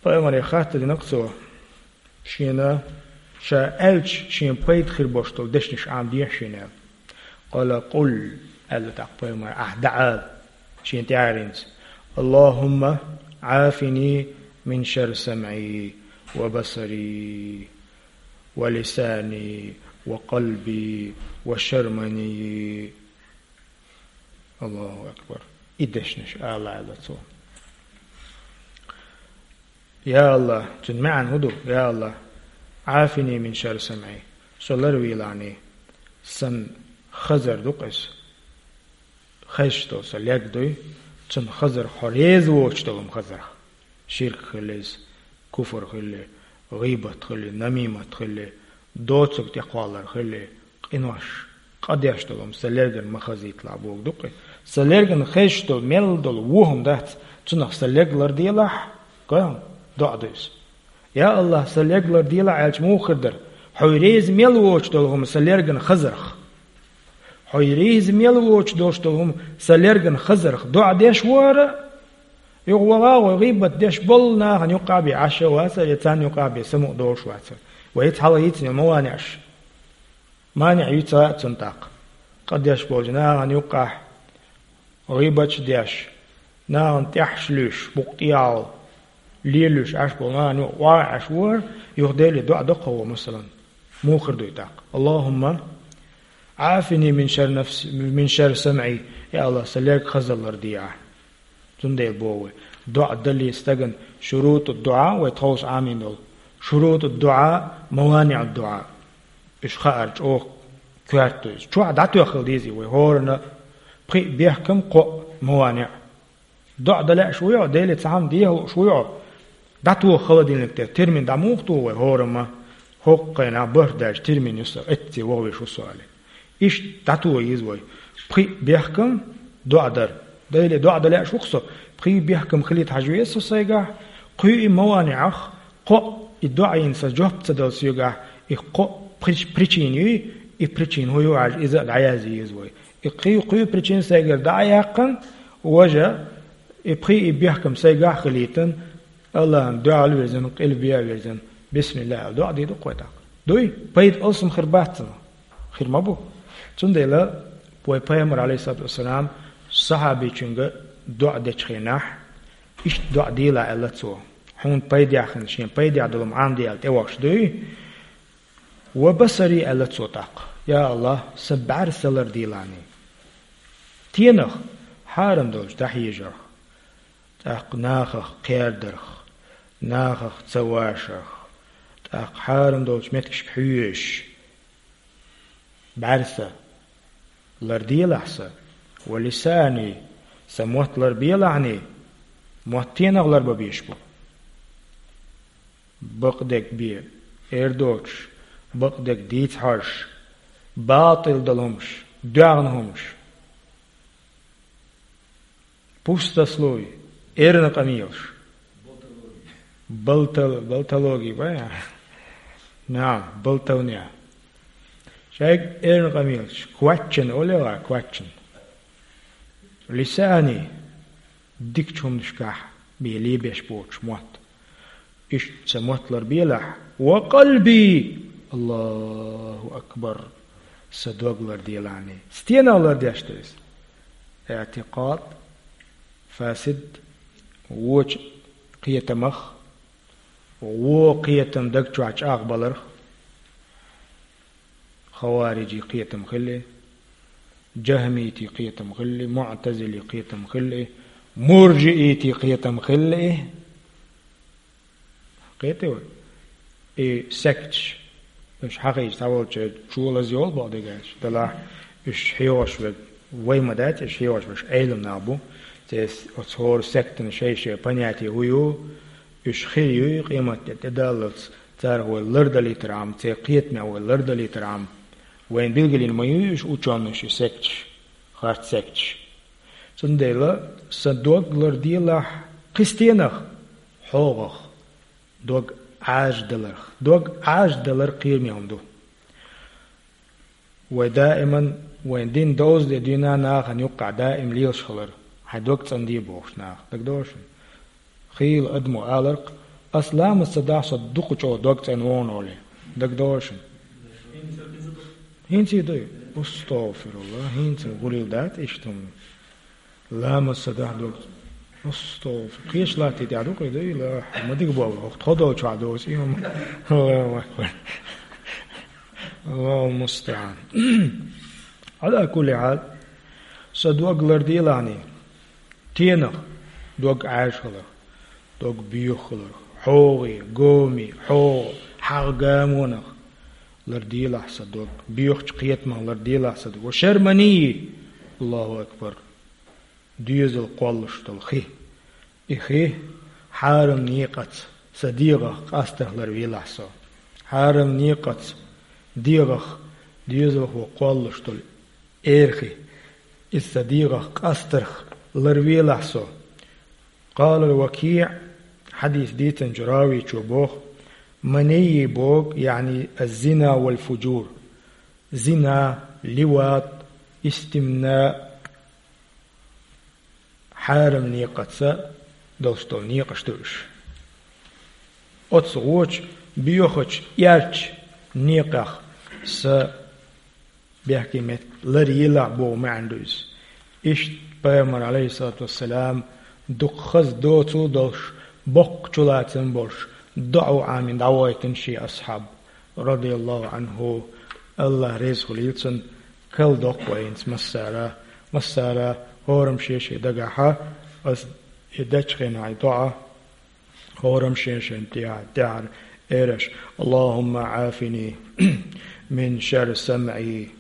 Пайхамаре хаттар дина-кх цо, шена ша аьлча, шена пайда хир болуш долу дешнаш Ӏамадехьа шена аьлла. «Къала къул», — аьлла тӀаккха пайхамар, — «ахь дӀаала», — шена тӀаьхьаренца: «Аллахумма Ӏафини мин шарри самӀи ва басари ва лисани ва къалби ва шармани». Аллаху акбар. И дешнаш ала аьлла цо. Я Аллах, цуьнан маьӀна хӀун ду? Я Аллах, «Ӏафини мин шарри самӀи», со ларвийлахьний, сан хазар ду-кх иза. Хезаш долу сан лерг дуй, цунна хазарх хьо реза воцуш долу хӀума хазарх. Ширк хилла иза, куфр хилла, гӀийбат хилла, намимат хилла, доцург тӀекхоллар хилла, къинош, къа деш долу хӀума сан лергана ма хазийталахь бохург ду-кх. Сан лергана хезаш долу, мел долу вон хӀума дац, цунах сан лерг ларделахь, гой хьуна, доӀа ду иза. Я Аллах, сан лерг ларделахь аьлча муха хир дара? Хьо реза мел воцуш долу хӀума сан лергана хазарх. Хьо реза мел воцуш долуш долу хӀума сан лергана хазарх доӀа деш вара. Юха ваха а гӀой, гӀийбат деш болу нахана юккъахь бен Ӏаш а вацара, я царна юккъахь бен самукъа долуш вацара. Вай цхьалха йийцина ма ванехьаш. МанехӀ юьйцу а цунна тӀаккха. Къа деш болчу нахана юккъахь гӀийбаташ деш, нахана тӀехьаш луьйш, букъ тӀехьал лелуьйш Ӏаш болу нахана юкъа охьа Ӏаш вара, юха Деле доӀа доккхо ву, масалан. Муха хир дуй тӀаккха? «Аллахумма Ӏафини мин шарри нафси, мин шарри самӀи», я Аллах, сан лерг хазаллар де ахь. Цундела боху вай, доӀа дале стагана шуруту дуӀа, вай тховса Ӏамийна долу шуруту дуӀа, маваниӀу дуӀа. Уьш хаар чӀогӀа коьрта ду иза. Чохь дӀатоьххала дезий вай хӀоранна пхи а бехкам, кхоъ маваниӀ. ДоӀа дан лаьаш вуй хьо, Деле цхьа хӀума деха лууш вуй хьо? ДӀатоха холодильник тӀе термин дӀа муха туху вай хӀорамма? ХӀокху хенахь барт даьлча термин ю сан, эцце ваха веш ву со аьлла. Иштта дӀатоха еза вай. Пхи а бехкам, доӀа дар. Деле доӀа дан лаьаш ву-кх со, пхи а бехкам хилийта хьажа веза со сайгахь, кхин а маваниӀах, кхоъ и доӀа йина сан жоп ца дала соьгахь, и кхоъ прич-, причина юй, и причина хӀун ю хьажа, иза а дӀаязъе еза вай. И кхин а, кхин а причина сайгара дӀа а яьккхина, важа и пхи а бехкам сайгахь а хилийтина, Аллахьан дуьхьал а вирзина, къилба а вирзина, бисмиллахӀ аьлла, доӀа дийр ду-кх вай тӀаккха. Дуй, пайда алсам хир бац цунах? Хир ма бу. Цундела вай Пайхамар, Ӏалайхиссалату вассалам, сахьабичуьнга доӀа дечу хенахь, иштта доӀа делахь аьлла цо. Хьуна пайдехь хилла, шен пайдехь долу Ӏамаде аьлла тӀевахча дуй. «Ва басари», аьлла цо тӀаккха. Я Аллах, сан бӀаьрса ларделахьний. Стенах? Хьарам долчу дӀахьежарх, тӀаккха нахах кхердарх, нахах ца вашарх, тӀаккха хьарам долчу меттигашка хьоьжуш. БӀаьрса ларделахь сан. «Ва лисани», сан мотт ларбелахьний. Мотт стенах ларбан безаш бу? Бакъдерг бен эр доцуш, бакъдерг дийца хьожуш, батӀал долу хӀумаш, доьгӀна хӀумаш. Пустословие, эрна къамелаш. Балтал-, балтологи, бай? نعم, болтовня. Шайга эрна къамелаш, кваччан олегӀа, кваччан. لساني, дикача хӀуманашкахь бен лебеш боцуш мотт. Иштта са мотт ларбелахь, وقلبي, الله أكبر, са дог ларделахьний. Стенах лардеш ду иза? اعتقاد فاسد, вочу кхетамах, вон кхетам даг чохь чӀагӀбаларх, хавариджийн кхетам хилла и, джахмитийн кхетам хилла и, муӀтазилин кхетам хилла и, муржиитийн кхетам хилла и. Кхетий вай? И секташ, уьш хьахийча цхьаволчу чолаза йолу боху дегаш, делахь уьш хьехош верг вай ма дац, уьш хьехош верг Ӏелам нах бу. Церан оцу хӀора сектан шай-шай понятие хӀун ю, уьш хир юй, къематде тӀедаллалц царах вай лардалийтархьама, церан кхетамех вай лардалийтархьама, вайна билгалйина ма юй уьш учёныш, и секташ, харц секташ. Цундела сан дог ларделахь кхин стенах? ХьогӀах, дог Ӏаьржадаларх. Дог Ӏаьржадалар кхераме хӀума ду. Вай даиман, вайн дин довза де дуьйна нахана юккъехь даим лелаш хилар, хьайн дог цӀанде бохуш наха. ДагадогӀу шуна? Хийла адамо аларх, ас ламаз ца дахь, со дукха чӀогӀа дог цӀанвогӀу олий. ДагадогӀу шуна? ХӀинца а ду и? АстагӀфируллахӀ, хӀинца гӀуллакх дац иштта хӀума. Ламаз ца дахь дог. АстагӀфир. Кхечу латте тӀехь ду кхин, ду и, ла, ма дика боху, хӀокху тхо долчохь доцу и хӀума. Аллаху акбар. Аллаху мустаӀан. Ӏала кулли хьал, сан дог ларделахьний, стенах? Дог Ӏаьржа хиларх, дог боьха хиларх, хьогӀе, гоме, хьогӀа, хьагӀ гамонах ларделахь сан дог, боьхачу кхетамах ларделахь сан дог. Ва шарра маниййи, Аллаху акбар, доьзал кхоллуш долу хи. И хи хьарам некъаца сан дегӀах къастарх ларвелахь со. Хьарам некъаца дегӀах, доьзалхо кхоллуш долу эр хи, иза сан дегӀах къастарх ларвелахь со. Къала Вакиъ, хьадис дийцинчу равичо боху, маниййи боху, яъни аз-зина вал фужур. Зина, ливат, истимна, хьарам некъаца долуш долу некъаш ду уьш. Оцу гӀочу боьхачу, эрчу некъех сан бехке меттиг ларъелахь боху маьӀна ду иза. Иштта Пайхамар, Ӏалайхиссалату вассалам, дукха хаза доцу а долуш, боккха чулацам болуш, доӀа Ӏамийна дӀавойтина шен асхьаб, радияллаху Ӏанху, Аллах реза хуьлийла цунна, кхел доккху вайнца массара, массара хӀораммо шен-шен дагахь, ас и дечу хенахь и доӀа, хӀораммо шен-шен тӀехь-, тӀехьара эраш: «Аллахумма Ӏафини мин шарри самъи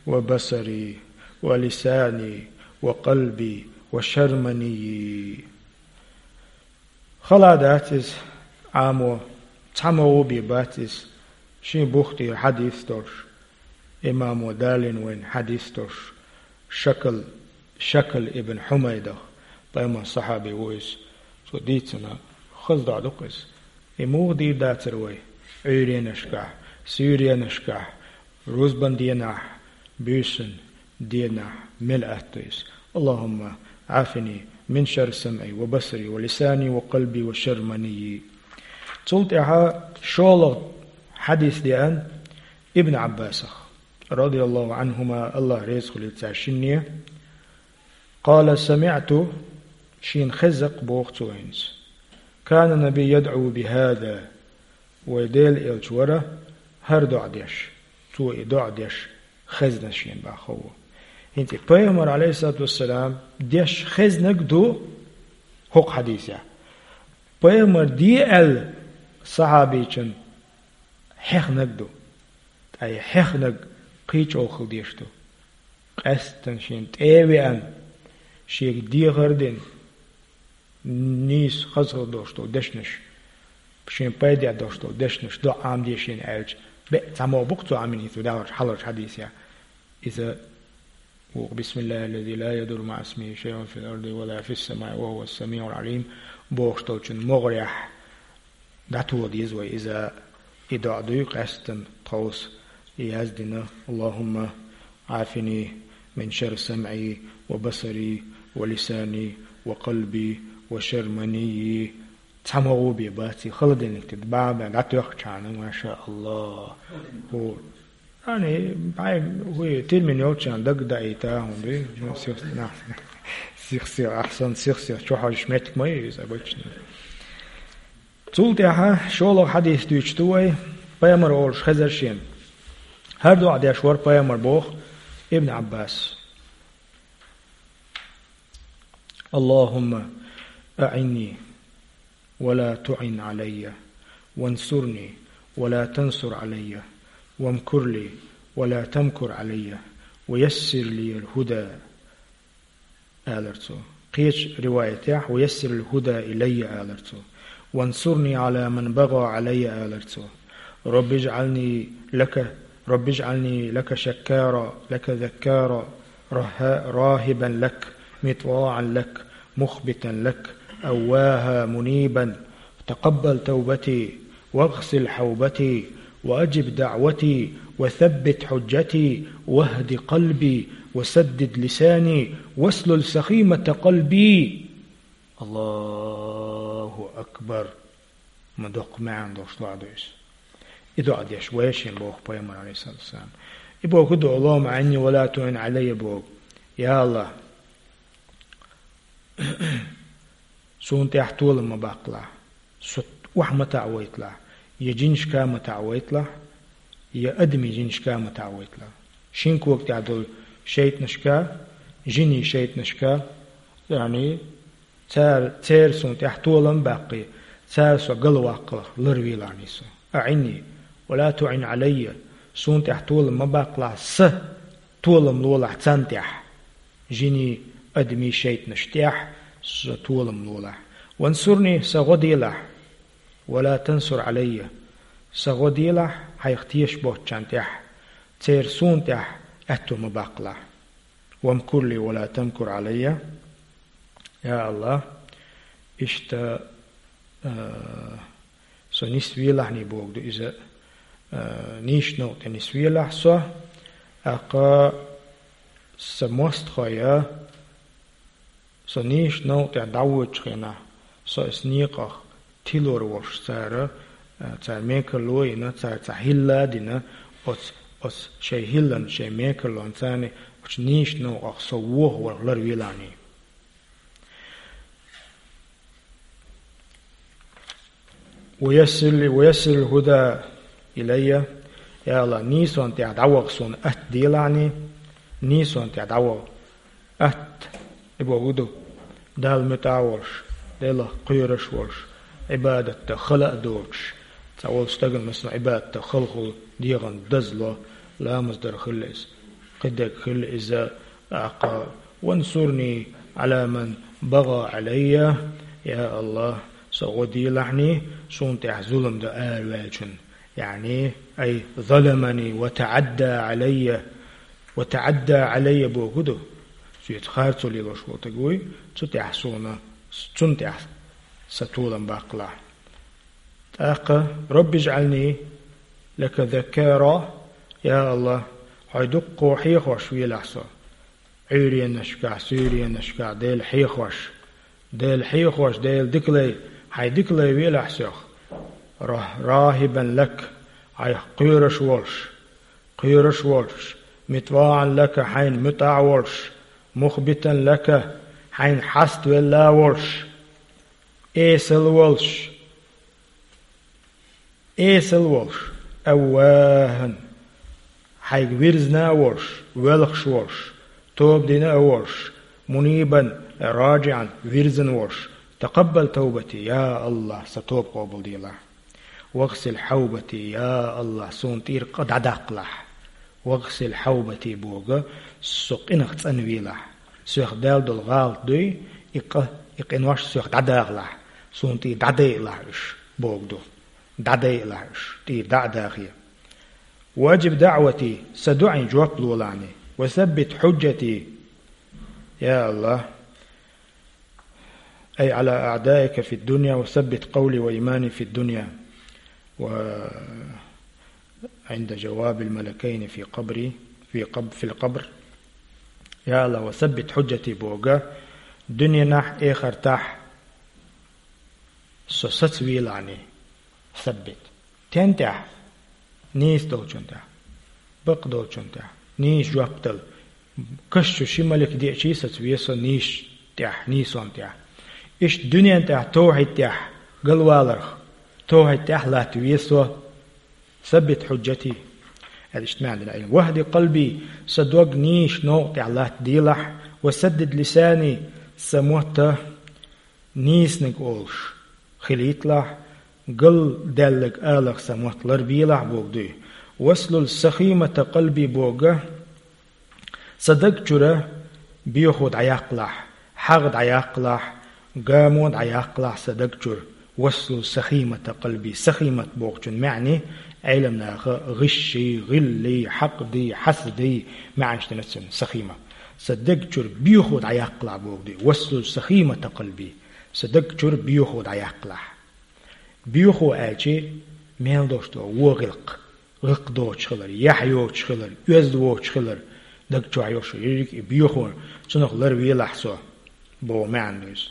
ва басари ва лисани ва къалби ва шарри маниййи». Хала дац иза Ӏамо, цхьаммо а бен бац иза, шен бух тӀера хьадис долуш, имамо далийна вайна хьадис долуш, Шакал, Шакал ибн Хьумайдах, пайхамаран сахьаби ву иза, цо дийцина, хаза доӀа ду-кх иза. И муха дийр дацара вай Ӏуьйренашкахь, суьйренашкахь, рузбан денахь, буьйсан денахь мел атта иза: «Аллахумма Ӏафини мин шарри самъи ва басари ва лисани ва къалби ва шарри маниййи». Цул тӀаьхьа шолгӀа хьадис деана Ибн Ӏаббасах, радияллаху Ӏанхума, Аллах реза хуьлийла цаьршинне. Къала: «СамиӀту», шена хезна-кх боху цо хӀинца: «Кана набий ядӀу бихӀаза», вай Делан элча вара хӀара доӀа деш, цо и доӀа деш хезна шена боху. ХӀинца и пайхамар, Ӏалайхиссалату вассалам, деш хезнарг ду хӀокху хьадисехь. Пайхамар де аьлла сахьабичун хьехнарг ду. Ткъа и хьехнарг кхин чӀогӀа хила дезаш ду. Къаьсттина шена тӀе а веана, шега дехар а дина, нийса хаза хила долуш долу дешнаш, шена пайда долуш долу дешнаш доӀа Ӏамаде шена аьлча, беа цхьаммо бу-кх цо Ӏамийна хӀинца вай даларчу хьалхарчу хьадисехь. Иза боху: «Бисмиллахиллази ла ядурру маӀа исмихӀи шайъун фил арди ва ла фис самаи ва хӀувас самиӀул Ӏалим», бохуш долчун могӀарехь дӀатоха деза вай иза. И доӀа дуй къаьстина тховса яздина: «اللهم عافني من شر سمعي وبصري ولساني وقلبي وشر منيي». Цхьа могӀу бе бац, и холодильник тӀа баба дӀатоьхча хьана, машааллахӀ. ХӀу. Ани, бай, хӀу, термин йолчарна дагдаийта, хӀун дуй? Ну, сих, на, сих, сих, ахсан, сих, сих, чу хьожаш меттиг ма ю иза обычно. Цул тӀаьхьа шолгӀа хьадис дуьйцуш ду вай, пайхамар олуш хезар шена. ХӀара доӀа деш вара пайхамар, боху Ибн Ӏаббас: «اللهم أعني ولا تعن علي، وانصرني ولا تنصر علي، وامكر لي ولا تمكر علي، ويسر لي الهدى», — алара цо. Кхечу риваятехь: «ويسر الهدى إلي», — алара цо. «وانصرني على من بغى علي», — алара цо. «رب اجعلني لك، رب اجعلني لك شكارا، لك ذكارا، رها-، راهبا لك، مطواعا لك، مخبتا لك، أواها منيبا، تقبل توبتي، واغسل حوبتي، وأجب دعوتي، وثبت حجتي، واهد قلبي، وسدد لساني، واسلل سخيمة قلبي». Аллаху акбар! Ма доккха маьӀна долуш доӀа ду иза. И доӀа деш вай шен боху пайхамар, алейхиссалату вассалам. И боху ду: «اللهم أعني ولا تعن علي», — боху. Я АллахӀ, суна тӀехь толам ма баккхалахь, со охьа ма таӀавайталахь, я жинашка ма таӀавайталахь, я адамийн жинашка ма таӀавайталахь. Шин кога тӀехь долу шайтӀанашка, жинийн шайтӀанашка, яъни, цара, церан суна тӀехь толам а баккхий, цара со галваккхалах ларвелахьний со. «أعني ولا تعن علي», суна тӀехь толам ма баккхалахь, сан толам лолахь царна тӀехь. Жинийн, адамийн шайтӀанаш тӀехь сан толам лолахь. «وانصرني», сан гӀо делахь. «ولا تنصر علي», сан гӀо делахь хьайх тешаш боцчарна тӀехь, церан суна тӀехь аьтто ма баккхалахь. «وامكر لي ولا تمكر علي». Я АллахӀ, иштта, а, со нисвелахьний боху ду иза, а, нийсачу новкъа тӀе нисвелахь со, тӀаккха сан мостагӀий, со нийсачу новкъа тӀе дӀавоьдучу хенахь, со оцу некъах тилор волуш цара, а, цара мекарло а йина, цара цхьа хӀилла а дина, оцу, оцу шайн хӀиллан, шайн мекарлон царна оцу нийсачу новкъах со вохавалах ларвелахьний. «ويسر لي، ويسر الهدى إلي». Я АллахӀ, нийсонна тӀехь дӀаваха суна атта делахьний, нийсонна тӀехь дӀаваха. Атта, и боху ду, Далла муьтӀахь а волуш, Делах кхоьруш а волуш, Ӏибадатта хала а доцуш, цхьа волу стагана, масала, Ӏибадатта халахула дегӀан дазло, ламаз дар хилла иза, кхидерг хилла иза, тӀаккха: «وانصرني على من بغى علي», я АллахӀ, со гӀо делахьний, суна тӀехь зулам дан араваьллачунна, яъни: «أي ظلمني وتعدى علي». «وتعدى علي» боху ду, соьца харцо лелош волу стаг вуй, цу тӀехь суна, цунна тӀехь сан толам баккхалахь. ТӀаккха: «رب اجعلني لك ذكارا», я АллахӀ, хьо дуккха хьехош велахь со. Ӏуьйренашкахь, суьйренашкахь Дела хьехош, Дела хьехош, Дела дика лай, хьайн дика лай велахь соьх. «Ра-, راهبا لك», хьайх кхоьруш волуш, кхоьруш волуш, «مطواعا لك», хьайна муьтӀахь а волуш, «مخبتا لك», хьайна хьаставелла а волуш, эсала волуш, эсала волуш, «أواها», хьайга вирзина а волуш, воьлхуш волуш, тоба дина а волуш, «منيبا», «راجعا», вирзина волуш, «تقبل توبتي», я АллахӀ, сан тоба къобалделахь. «واغسل حوبتي», я АллахӀ, суна тӀера къа дӀадаккхалахь. «واغسل حوبتي» боху, со къинах цӀанвелахь. Соьх даьлла долу гӀалат дуй, и къа, и къинош соьх дӀадахалахь, суна тӀера дӀадайалахь уьш, боху ду. ДӀадайалахь уьш, тӀера дӀа а дахе. «وأجب دعوتي», сан доӀийн жоп лолахьний. «وثبت حجتي», я АллахӀ, «أي على أعدائك في الدنيا، وثبت قولي وإيماني في الدنيا». وعند جواب الملكين في قبري، في قب-، في القبر. Я Аллах, وثبت حجتي боху, дуьненахь, эхартахь со сацавелахь. ثبت. Стен тӀехь? Нийса долчун тӀехь. Бакъ долчун тӀехь. Нийса жоп дала. Каш чу ши малик деъча а сацаве со нийса тӀехь, нийсонан тӀехь. Иштта дуьненан тӀехь, товхьид тӀехь галваларх, товхьид тӀехь латтаве со. ثبت حجتي. Аьлла иштта маьӀна дина Ӏилма. واهد قلبي, сан дог нийса новкъа тӀехь латтаделахь, وسدد لساني, сан мотт нийсаниг олуш хилийталахь, галдаьлларг аларх сан мотт ларбелахь боху дуй. واسلل سخيمة قلبي боху, сан даг чуьра боьхо дӀаяккхалахь, хьагӀ дӀаяккхалахь, гамо дӀаяккхалахь сан даг чуьра. واسلل سخيمة قلبي. Сахимат бохучун маьӀна Ӏеламнаха гӀишший, гӀиллий, хьакъдий, хьасадий маьӀнаш дина цуьнан, сахима. Сан даг чуьра боьхо дӀаяккхалахь боху дуй. واسلل سخيمة قلبي. Сан даг чуьра боьхо дӀаяккхалахь. Боьхо аьлча, мел долуш долу вон гӀиллакх, гӀиллакх доцуш хилар, яхь йоцуш хилар, оьзда воцуш хилар, даг чохь йолуш ерриг а и боьхо, цунах ларвелахь со, боху маьӀна ду иза.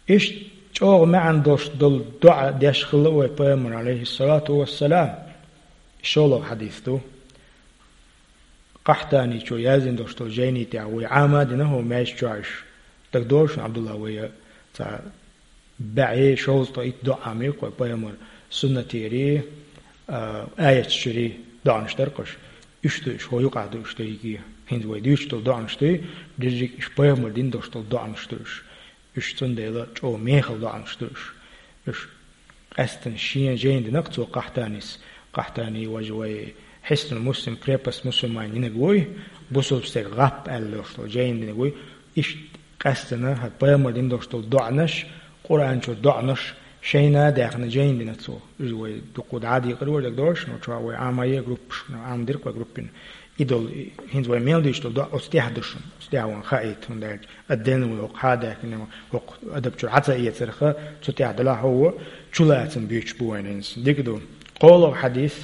Иштта чӀогӀа маьӀна долуш долу доӀа деш хилла вай Пайхамар, алейхиссалату вассалам. ШолгӀа хьадис ду. Къахьтаничо яздина долуш долу жайни тӀехь вай Ӏама а дина хӀокху маьждиг чохь уьш. ДагадогӀу шуна, Абдулла, вай цхьа бӀе шовзткъе итт доӀа ма ю кху Пайхамар суннатера, а, аяташ чуьра доӀанаш дара кхуш. Уьш ду уьш, хӀокху юкъахь ду уьш дерриге. ХӀинца вай дуьйцуш долу доӀанаш ду, дерриг уьш Пайхамар дина долуш долу доӀанаш ду уьш. Уьш цундела чӀогӀа мехала доӀанаш ду уьш. Уьш къаьстина шен жайна динарг цо, Къахьтанис. Къахьтани важа вай Хьиснул Муслим, крепость мусульманийн динарг вуй, бусулба стеган гӀап аьлла долуш долу жайна динарг вуй. Иштта къаьстина хӀара Пайхамар дина долуш долу доӀанаш, Къуръан чуьра доӀанаш, шайна а даьхна жайна дина цо. Иза вай дукха дӀа а декъар вара, дагадогӀу шуна, чохь вай Ӏамае а группаш, Ӏама дира кху группина. И долу, и, хӀинца вай мел дийцуш долу доӀа оцу тӀехь ду шуна, оцу тӀехь вайна хаийта, хӀунда аьлча, а ден вай хӀокху хьадаьккхина, хӀокху адаб чуьра хьан ца эцарх, цу тӀехь делахь хӀокху чулацам буьйцуш бу вайна хӀинца. Дика ду. КхоалгӀа хьадис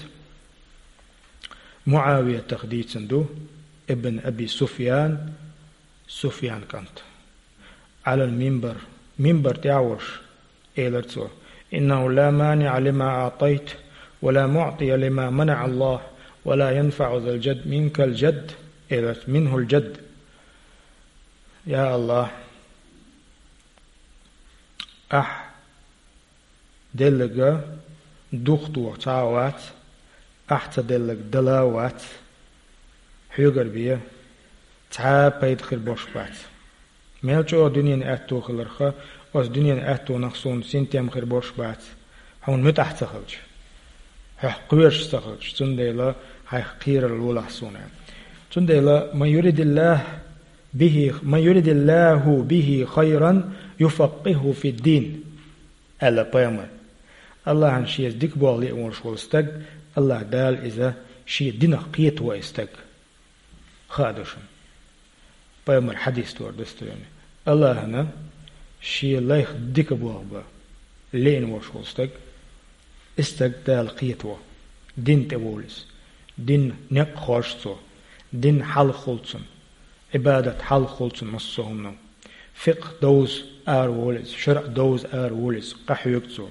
МуӀавиятах дийцина ду, ибн Аби Суфьян, Суфьян кӀант. Ӏалал минбар, минбар тӀехь а волуш, элира цо: «إنه لا مانع لما أعطيت، ولا معطي لما منع الله، ولا ينفع ذا الجد منك الجد», элира цо, «منه الجد». Я Аллах, ахь делларг духадоху цхьа а вац, ахь ца делларг дала а вац, хьоьгара бен цхьа а пайда хир болуш бац. Мел чӀогӀа дуьненан аьтто хиларх, оцу дуьненан аьттонах суна синтем хир болуш бац, хьуна муьтӀахь ца хилча, хьох кхоьруш ца хилча, цундела хьайх кхерар лолахь суна. Цундела: «من يرد الله به، من يرد الله به خيرا يفقهه في الدين», аьлла пайхамар. Аллахьан шеца дика болх лиъна волуш волу стаг, Аллахь Дала иза шен динах кхетаво и стаг. Хаа ду шуна. Пайхамар хьадис тора достоверный. Аллахьана шен лайх дика болх бан лиъна волуш волу стаг, и стаг Дала кхетаво. Дин тӀе волу иза. Дин некъ хоржу цо. Дин хьалха хуьлу цунна. Ӏибадат хьалха хуьлу цунна массо а хӀумано. Фикъхь довза ара волу иза, шарӀ довза ара волу иза, къахьоьгу цо.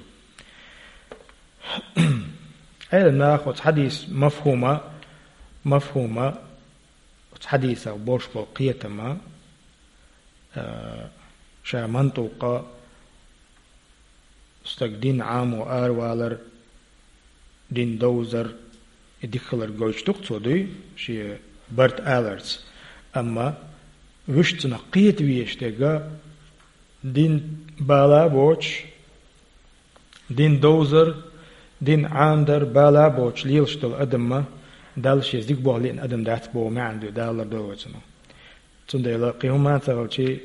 Ӏелам наха оцу хьадис мафхума, мафхума, оцу хьадисах болуш болу кхетама, а, ша мантукъа стаг дин Ӏамо аравалар, дин довзар, и дика хилар гойтуш ду-кх цо дуй, шен барт аларца. Амма вуьшта цунах кхета везаш дерг дин бала а боцуш, дин довзар, дин Ӏамадар бала а боцуш лелаш долу адам ма, Далла шеца дика болх лиъна адам дац боху маьӀна ду, Дала лардойла вай цунах. Цундела кхин хӀумма а ца хилчий,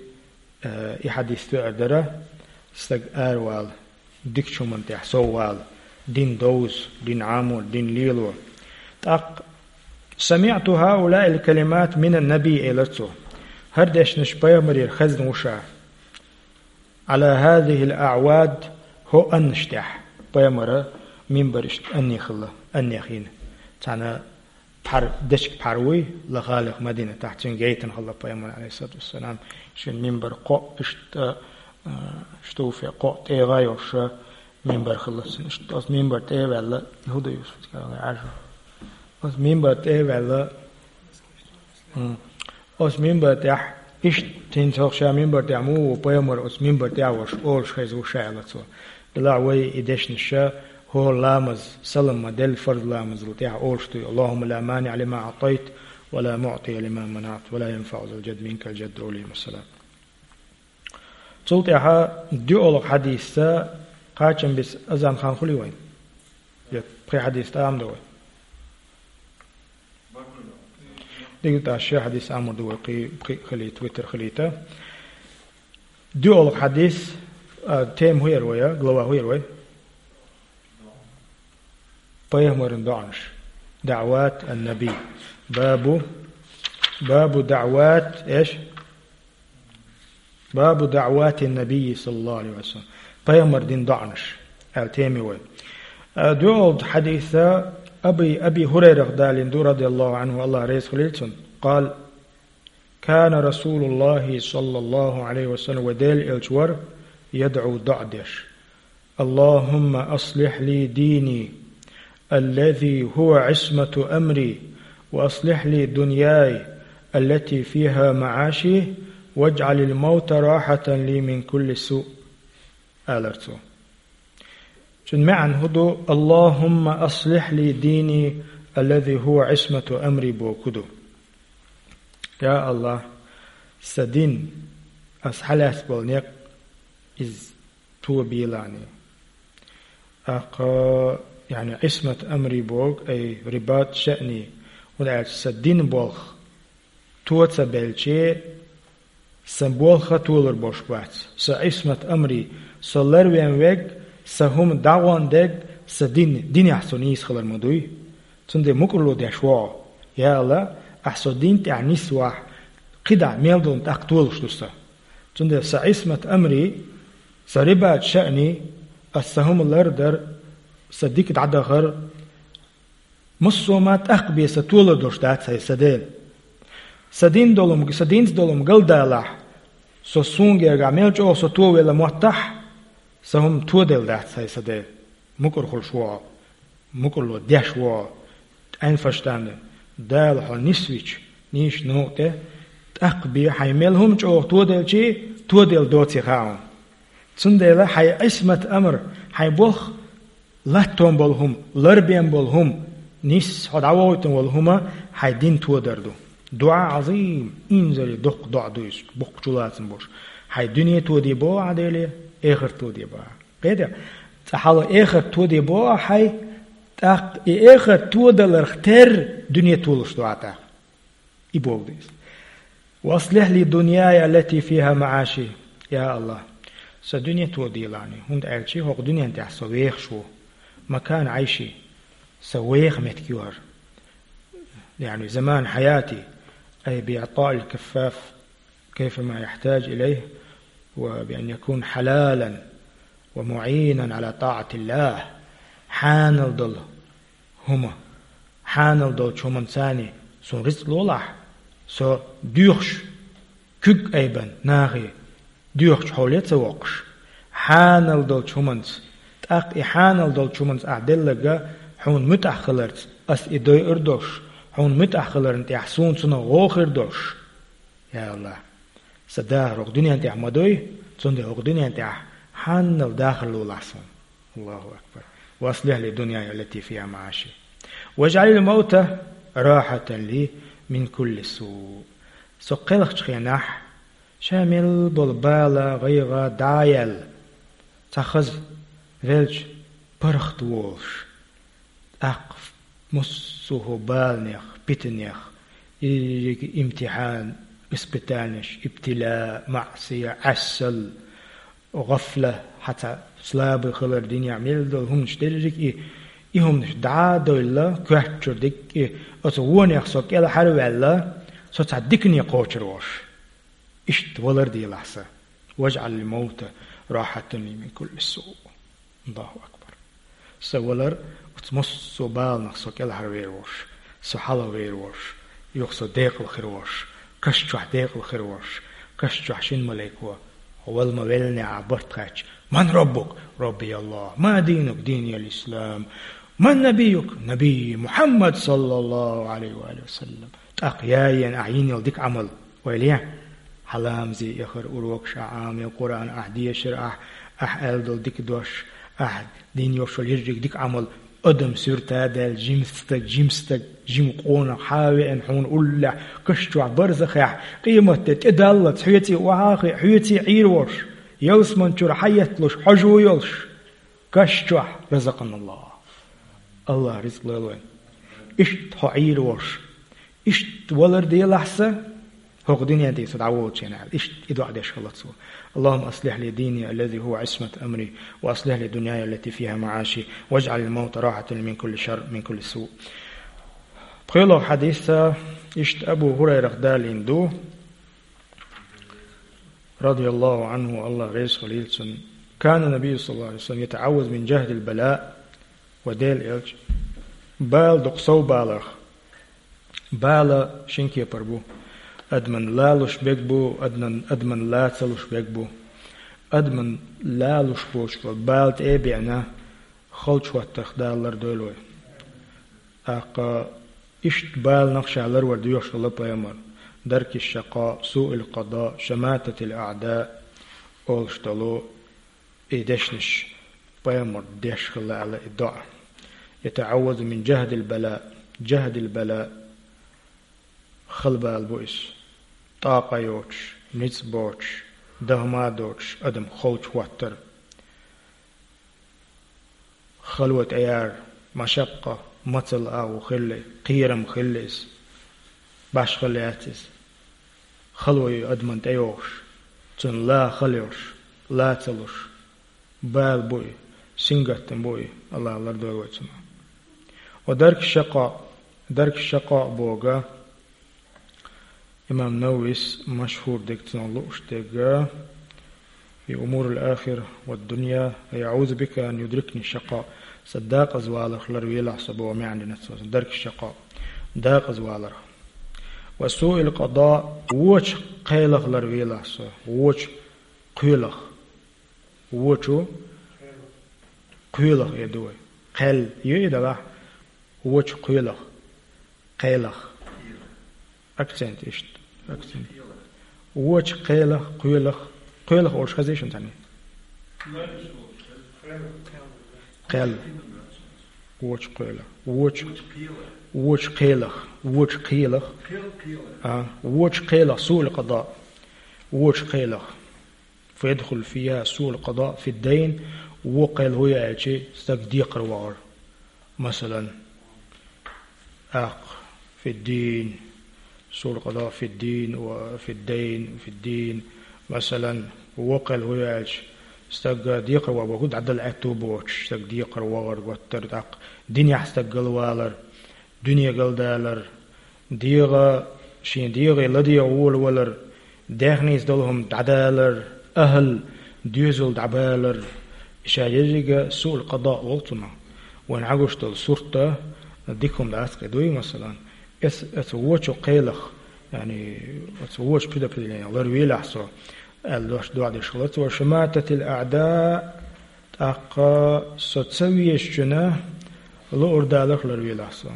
э, и хьадис тоьар дара, стаг аравала, дикачу хӀуманна тӀехь соввала, дин довза, дин Ӏамо, дин лело. ТӀаккха: «سمعت هؤلاء الكلمات من النبي», элира цо. ХӀара дешнаш пайхамарера хезна ву ша. «على هذه الأعواد», хӀо аннаш тӀехь, пайхамара Минбар иштта анне хилла, анне хина. Цхьана пхьар, дечиг пхьар вуй, ла халех Мадинатахь, цуьнга гайтина хилла пайхамар, алейхиссалату вассалам, шен минбар кхоъ иштта, а, штуфе кхоъ тӀегӀа йолуш, минбар хилла цуьнан. Иштта оцу минбар тӀе а ваьлла, хӀун ду, Юсуф, Ӏаьржа? Оцу минбар тӀе а ваьлла, М. Оцу минбар тӀехь, иштта хӀинца хӀокху ша минбар тӀехь муха ву пайхамар, оцу минбар тӀехь волуш, олуш хеза ву ша аьлла цо. Делахь вай и дешнаш ша, хӀора ламаз, салам ма-делла фарз ламазал тӀехь олуш ду: «Аллахумма ла маниӀа лима аӀтайта, ва ла муӀтия лима манаӀта, ва ла янфаӀу зал джадди минкал джадд», олий, масала. Цул тӀаьхьа доьалгӀа хьадисца кхачам бисса азан хан хуьлий вайн? Я пхи хьадис тӀам ду вай? Дигла тӀе ши хьадис амур ду вай, кхи, кхи хилийта, витр хилийта. ДоьалгӀа хьадис, а, тема хӀун яра вай, а, глава хӀун яра вай? Пайхамаран доӀанаш. ДаӀват ан-Наби. Бабу, бабу даӀват, эш? Бабу даӀватин Набийи, саллаллаху алейхи ва саллям. Пайхамар дина доӀанаш аьлла тема ю вай. А, доьалгӀа хьадиса Аби, Аби Хурайрах далийна ду, радияллаху анху, Аллах реза хуьлийла цунна. Къала: «Кана Расулуллахи, саллаллаху алейхи ва саллям», вай Делан элча вара, «ядӀу», доӀа деш: «Аллахумма аслихь ли дини, аллази хува Ӏисмату амри, ва аслихь ли дуньяй, аллати фиха маӀаши, ваджӀалил маута рахьатан ли мин кулли суъ», алар цо. Цуьнан маьӀна хӀун ду: «Аллахумма аслихь ли дини, аллази хува Ӏисмату амри», боху хӀун ду? Я Аллах, сан дин, ас хьалаьцна болу некъ, иза тобелахь. ТӀаккха, яъни, Ӏисмат амри боху, ай рибат шаъни, хӀунда аьлча сан дин болх то ца белча, сан болх а толур болуш бац. Сан Ӏисмат амри, со ларвен верг, сан хӀума дӀагӀон дерг, сан дин, динехь со нийса хилар ма дуй. Цундела мукӀарло деш ву хьо: «Я Аллах, ахь со дин тӀехь нисвахь, кхидӀа мел долу тӀаккха толуш ду сан». Цундела сан Ӏисмат амри, сан рибат шаъни, ас сан хӀума лардар, сан дика дӀадахар, массо а ма тӀаккха бен сан толар долуш дац, хӀай сан Дела. Сан дин долу хӀума, сан динца долу хӀума галдалахь, со суна гергахь мел чӀогӀа со товелла моттахь, сан хӀума тоделла дац, хӀай сан Дела. МукӀар хуьлуш ву хьо, мукӀарло деш ву хьо, Ӏен фаштана, Дала хьо нисвича нийса новкъа тӀе, тӀаккха бен хьайн мел хӀума чӀогӀа тоделчий, тоделла доций хаьа хьуна. Цундела хьайн Ӏисмат амр, хьайн болх латтон болу хӀума, ларбен болу хӀума, нийса хьо дӀавохуьйтун волу хӀума хьайн дин тодар ду. ДуӀа Ӏазим, инзаре доккха доӀа ду иза, боккха чулацам болуш. Хьайн дуьне тоде боху ахь Деле, эхарт тоде боху ахь. Кхетий? Цкъа хьала эхарт тоде боху ахь хьайн, тӀаккха и эхарт тодаларх терра дуьне толуш ду ахь тӀаккха. И боху деза. «Ва аслихь ли дуньяй, аллати фиха маӀаши». Я Аллах, сан дуьне тоделахь, хӀунда аьлча хӀокху дуьнен тӀехь со вехаш ву. Макан Ӏайши, сан веха меттиг ю хӀара. Яъни заман хьаяти, ай би иӀтаил каффаф, кайфа ма яхьтаж илайх, ва би ан якун хьалалан, ва муӀинан Ӏала тӀаӀатиллах. Хьанал долу хӀума, хьанал долчу хӀуманца суна рицкъ лолахь, со доьхуш, куьг айбан нахе, доьхучу хьоле а ца воккхуш, хьанал долчу хӀуманца, тӀаккха и хьанал долчу хӀуманца ахь делларг хьуна муьтӀахь хиларца ас и дойур долуш, хьуна муьтӀахь хиларна тӀехь суна цунах гӀо хир долуш. Я Аллах, сан дахар хӀокху дуьнен тӀехь ма дуй, цундела хӀокху дуьнен тӀехь хьанал дахар лолахь суна. Аллаху акбар. «Ва аслихь ли дуньяй, аллати фиха маӀаши. ВажӀалил маута рахьатан ли мин кулли суъ». Со кхелхачу хенахь, ша мел болу бала, гӀайгӀа дӀа а яьлла, цхьа хаза велча паргӀат волуш, тӀаккха массо а хӀу баланех, питанех, и имтихьан, испытанеш, ибтила, маӀсия, Ӏаьсал, гӀафла, хьан цхьа слабый хилар, динехь мел долу хӀуманаш дерриг а и, и хӀуманаш дӀа а девлла, коьртачуьра дерриг а и, оцу вонех со кӀелхьара а ваьлла, со цхьа дикане кхочур волуш. Иштта валар делахь сан. «ВажӀалил маута рахьатан ли мин кулли суъ». Аллаху акбар. Со валар, оцу массо а баланах со кӀелхьарвер волуш, со хьалхавер волуш, юха со декъала хир волуш, каш чохь декъала хир волуш, каш чохь шина малайко: «Вала ма веллинехь, ахь барт хаьттича, ман роббук?» «Робби Аллах». «Ма динук?» «Дини ал-ислам». «Ман набиюк?» «Набий Мухьаммад, саллаллаху алейхи ва алихи ва саллам». ТӀаккха яйена ахь йина йолу дика Ӏамал. Ойла е, хьан ламазе яхара урокаш ахь Ӏамайо, Къуръан ахь дешара, ахь, ахь аьлла долу дика дош, ахь дина йолуш йолу ерриг дика Ӏамал, адам суьрта а даьлла, жима стаг, жима стаг, жима къонах хьан а веана хьуна уллехь, каш чохь барзахехь, къематде тӀедаллалц хьоьций охьа а хиъна, хьоьций Ӏийр волуш, ялсаман чуьра хьан етталуш, хьожа а йолуш, каш чохь, разакъаналлах. Аллах ризкъ лойла вайн. Иштта хьо Ӏийр волуш, иштта валар делахь сан, хӀокху дуьнен тӀе со дӀаволучу хенахь, иштта и доӀа деш хилла цо: «اللهم أصلح لي ديني الذي هو عصمة أمري، وأصلح لي دنياي التي فيها معاشي، واجعل الموت راحة لي من كل شر، من كل سوء». ПхоьалгӀа хьадис а иштта Абу ХӀурайрах далийна ду, радияллаху Ӏанху, Аллах реза хуьлийла цунна: «كان النبي صلى الله عليه وسلم يتعوذ من جهد البلاء». Ва Делан элча, бала дукха сов баларх. Бала шина кепара бу. Адаман лалуш берг бу, адаман, адаман ла ца луш берг бу. Адаман лалуш боцуш болу бала тӀе а беана, халчу хӀоттарх Дала лардойла вай. ТӀаккха иштта баланах ша ларвар доьхуш хилла пайхамар: «درك الشقاء، سوء القضاء، شماتة الأعداء», олуш долу и дешнаш пайхамар деш хилла аьлла и доӀа. «يتعوذ من جهد البلاء». جهد البلاء хала бала бу иза. ТӀаккха йоцуш, ницкъ боцуш, дахма доцуш адам халчу хӀоттар. Хало тӀеяр, машаккъа, мацалла агӀо хилла, кхерам хилла иза. Башхалла яц иза. Хало ю адаман тӀейогӀуш, цунна ла хала йолуш, ла ца луш, бала бу и, сингаттам бу и, Аллах лардойла вай цунах. Ва дарк шакъа, дарк шакъа бога, имам Нававис машхур дерг цунах лууш дерг, «في أمور الآخرة والدنيا، أعوذ بك أن يدركني الشقاء». Сан декъазваларх ларвелахь со боху маьӀна дина цо, дарк шакъа, декъазваларх. «وسوء القضاء», вочу кхелах ларвелахь со, вочу кхоьлах. Вочу кхоьлах эр ду вай. Кхел ю и делахь, вочу кхоьлах. Кхелах. Акцент иштта. Акцент. Вочу кхелах, кхоьлах. Кхоьлах олуш хезий шуна цхьаьна? Кхел. Вочу кхоьлах. Вочу. Вочу кхелах. Вочу кхелах. А, вочу кхелах, суъул къада. Вочу кхелах. فيدخل فيها سوء القضاء في الدين, вон кхел хӀун ю аьлча, стаг декхар вахар. Масалан, аккха, في الدين, سوء القضاء في الدين, وفي الدين, في الدين. Масалан, вон кхел хӀун ю аьлча, стаг декхар ваха боху, дӀадала аьтту боцуш, стаг декхар вахар, готтар, тӀаккха динехь стаг галвалар, дуьне галдалар, дегӀа, шен дегӀе ладегӀа волавалар, даьхница долу хӀума дӀадалар, ахӀал, доьзал дӀабалар, ша еррига суъул къада олу цунах. Вайн хьагуш долу сурт а, дика хӀума дац кхин дуй, масалан. Эс-, эца вочу кхелах, яъни, эца вочу предопределениях ларвелахь со, аьлла дош доӀа деш хилла цо, шамататил аъда, тӀаккха со ца везачунна луурдаларх ларвелахь со.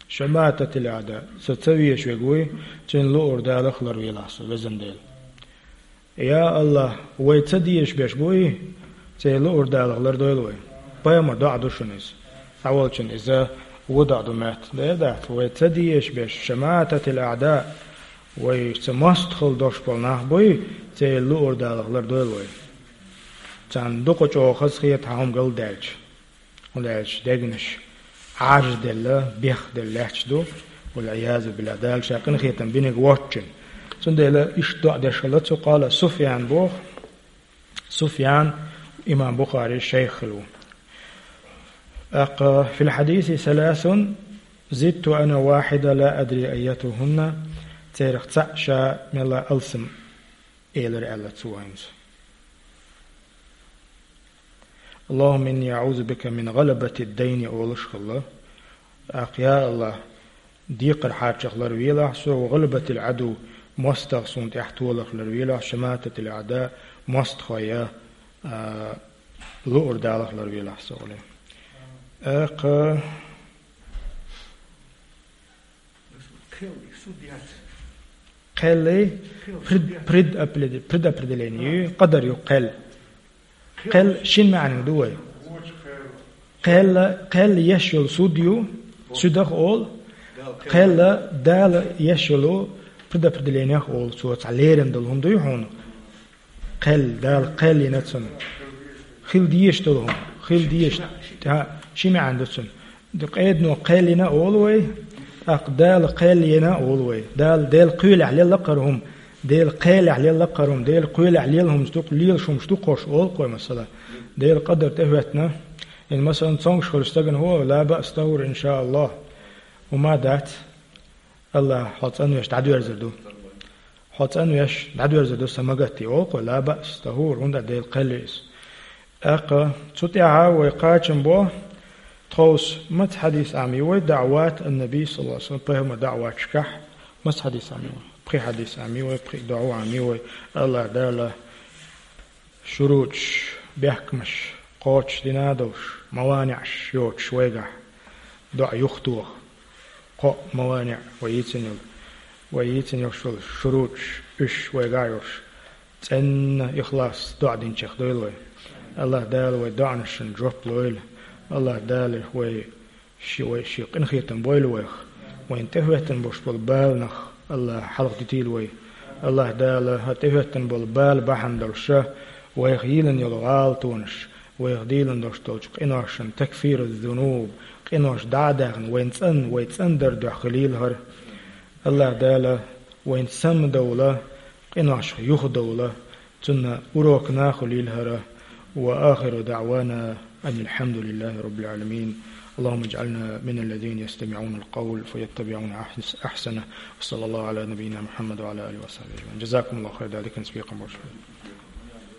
Шамататил аъда, со ца везаш верг вуй, цуьнан луурдаларх ларвелахь со, везан Дела. Я Аллах, вай ца дезаш берш буй, церан луурдаларх лардойла вай. Пайхамар доӀа ду шуна иза. Цхьаволчун иза вон доӀа ду моьтту. Де а дац, вай ца дезаш берш, шамататил аъда, вай ца мостагӀалла долуш болу нах буй, церан луурдаларх лардойла вай. Царна дукха чӀогӀа хазахета хьан хӀума галдаьлча. ХӀунда аьлча дегнаш Ӏажаделла, бехделла лаьтташ ду, валъиязу биллахӀ, Дала ша къинхетам бинарг воцчун. Цундела иштта доӀа деш хилла цо, къала Суфьян боху, Суфьян имам Бухари шайх хилла ву. ТӀаккха, في الحديث ثلاث زدت أنا واحدة لا أدري أيتهن, церах цхьаъ ша мелла алсам элира аьлла цо хӀинца. اللهم إني أعوذ بك من غلبة الدين олуш хилла. ТӀаккха, я АллахӀ, декхар хьарчах ларвелахь со, وغلبة العدو, мостагӀа суна тӀехь толах ларвелахь, شماتة الأعداء, мостагӀий, а, луъур далах ларвелахь со, олий. ТӀаккха Кхел, суд яц. Кхел, пред-, предопреде-, предопределение ю, къадар ю кхел. Кхел шин маьӀна ду вай. Кхел, кхел еш йолу суд ю, суьдах олу. Кхел Дала еш йолу предопределениех олу, цо цхьа лерина долу хӀума дуй хьуна. Кхел, Дала кхел йина цунна. Хила дезаш долу хӀума, хила дезаш. ТӀаккха ши маьӀна ду цунна. Д-, къедано кхел йина олу вай, тӀаккха Дала кхел йина олу вай. Дала, Делан кхелехь лелла кхара хӀума, Делан кхелехь лелла кхара хӀума, Делан кхелехь лелла хӀуманаш ду-кх, лелаш хӀуманаш ду-кх хӀорш олу-кх вай, масала. Делан къадар тӀехӀоьттина. Ин, масала, цомгуш хуьлуш стагана хӀу, لا بأس طهور إن شاء الله. ХӀума дац. АллахӀ хьо цӀанвеш дӀадоьрзур ду. Хьо цӀанвеш дӀадоьрзур ду, сан ма гатде, олу-кх вай, لا بأس طهور, хӀунда аьлча Делан кхел ю иза. ТӀаккха цу тӀехь вай кхачам бо, тховса маца хьадис Ӏамий вай, دعوات النبي صلى الله عليه وسلم, пайхамаран даӀваташкахь маца хьадис Ӏамий вай, пхи хьадис Ӏамий вай, пхи доӀа Ӏамий вай, АллахӀ Дала шуруташ, бехкамаш кхочушдина долуш, маваниӀаш йоцуш вайгахь, доӀа юхатоха. Кхо маваниӀ вай йийцина йолу, вай йийцина йолуш йолу шуруташ, уьш вайгахь йолуш, цӀена ихлас доӀа динчех дойла вай. АллахӀ Дала вай доӀанашна жоп лойла. АллахӀ Дала вай ши-, вай шен къинхетам бойла вайх. Вайна тӀехӀоьттина болуш болу бала нах АллахӀа хьалха дитийла вай. АллахӀ Дала хӀара тӀехӀоьттина болу бала бахьана долуш вайх йийлина йолу гӀалатонаш, вайх дийлина долуш долчу къиношна, تكفير الذنوب, къинош дӀа а даьхна, вайна цӀанна, вай цӀандаран дуьхьа хилийла хӀара. АллахӀ Дала вайна самадовла, къиношех юхадовла, цунна урокна а хуьлийла хӀара. وآخر دعوانا أن الحمد لله رب العالمين. اللهم اجعلنا من الذين يستمعون القول فيتبعون أحس-، أحسنه. وصلى الله على نبينا محمد وعلى آله وصحبه أجمعين. جزاكم الله خير. Дала диканца бекхам бойла шун.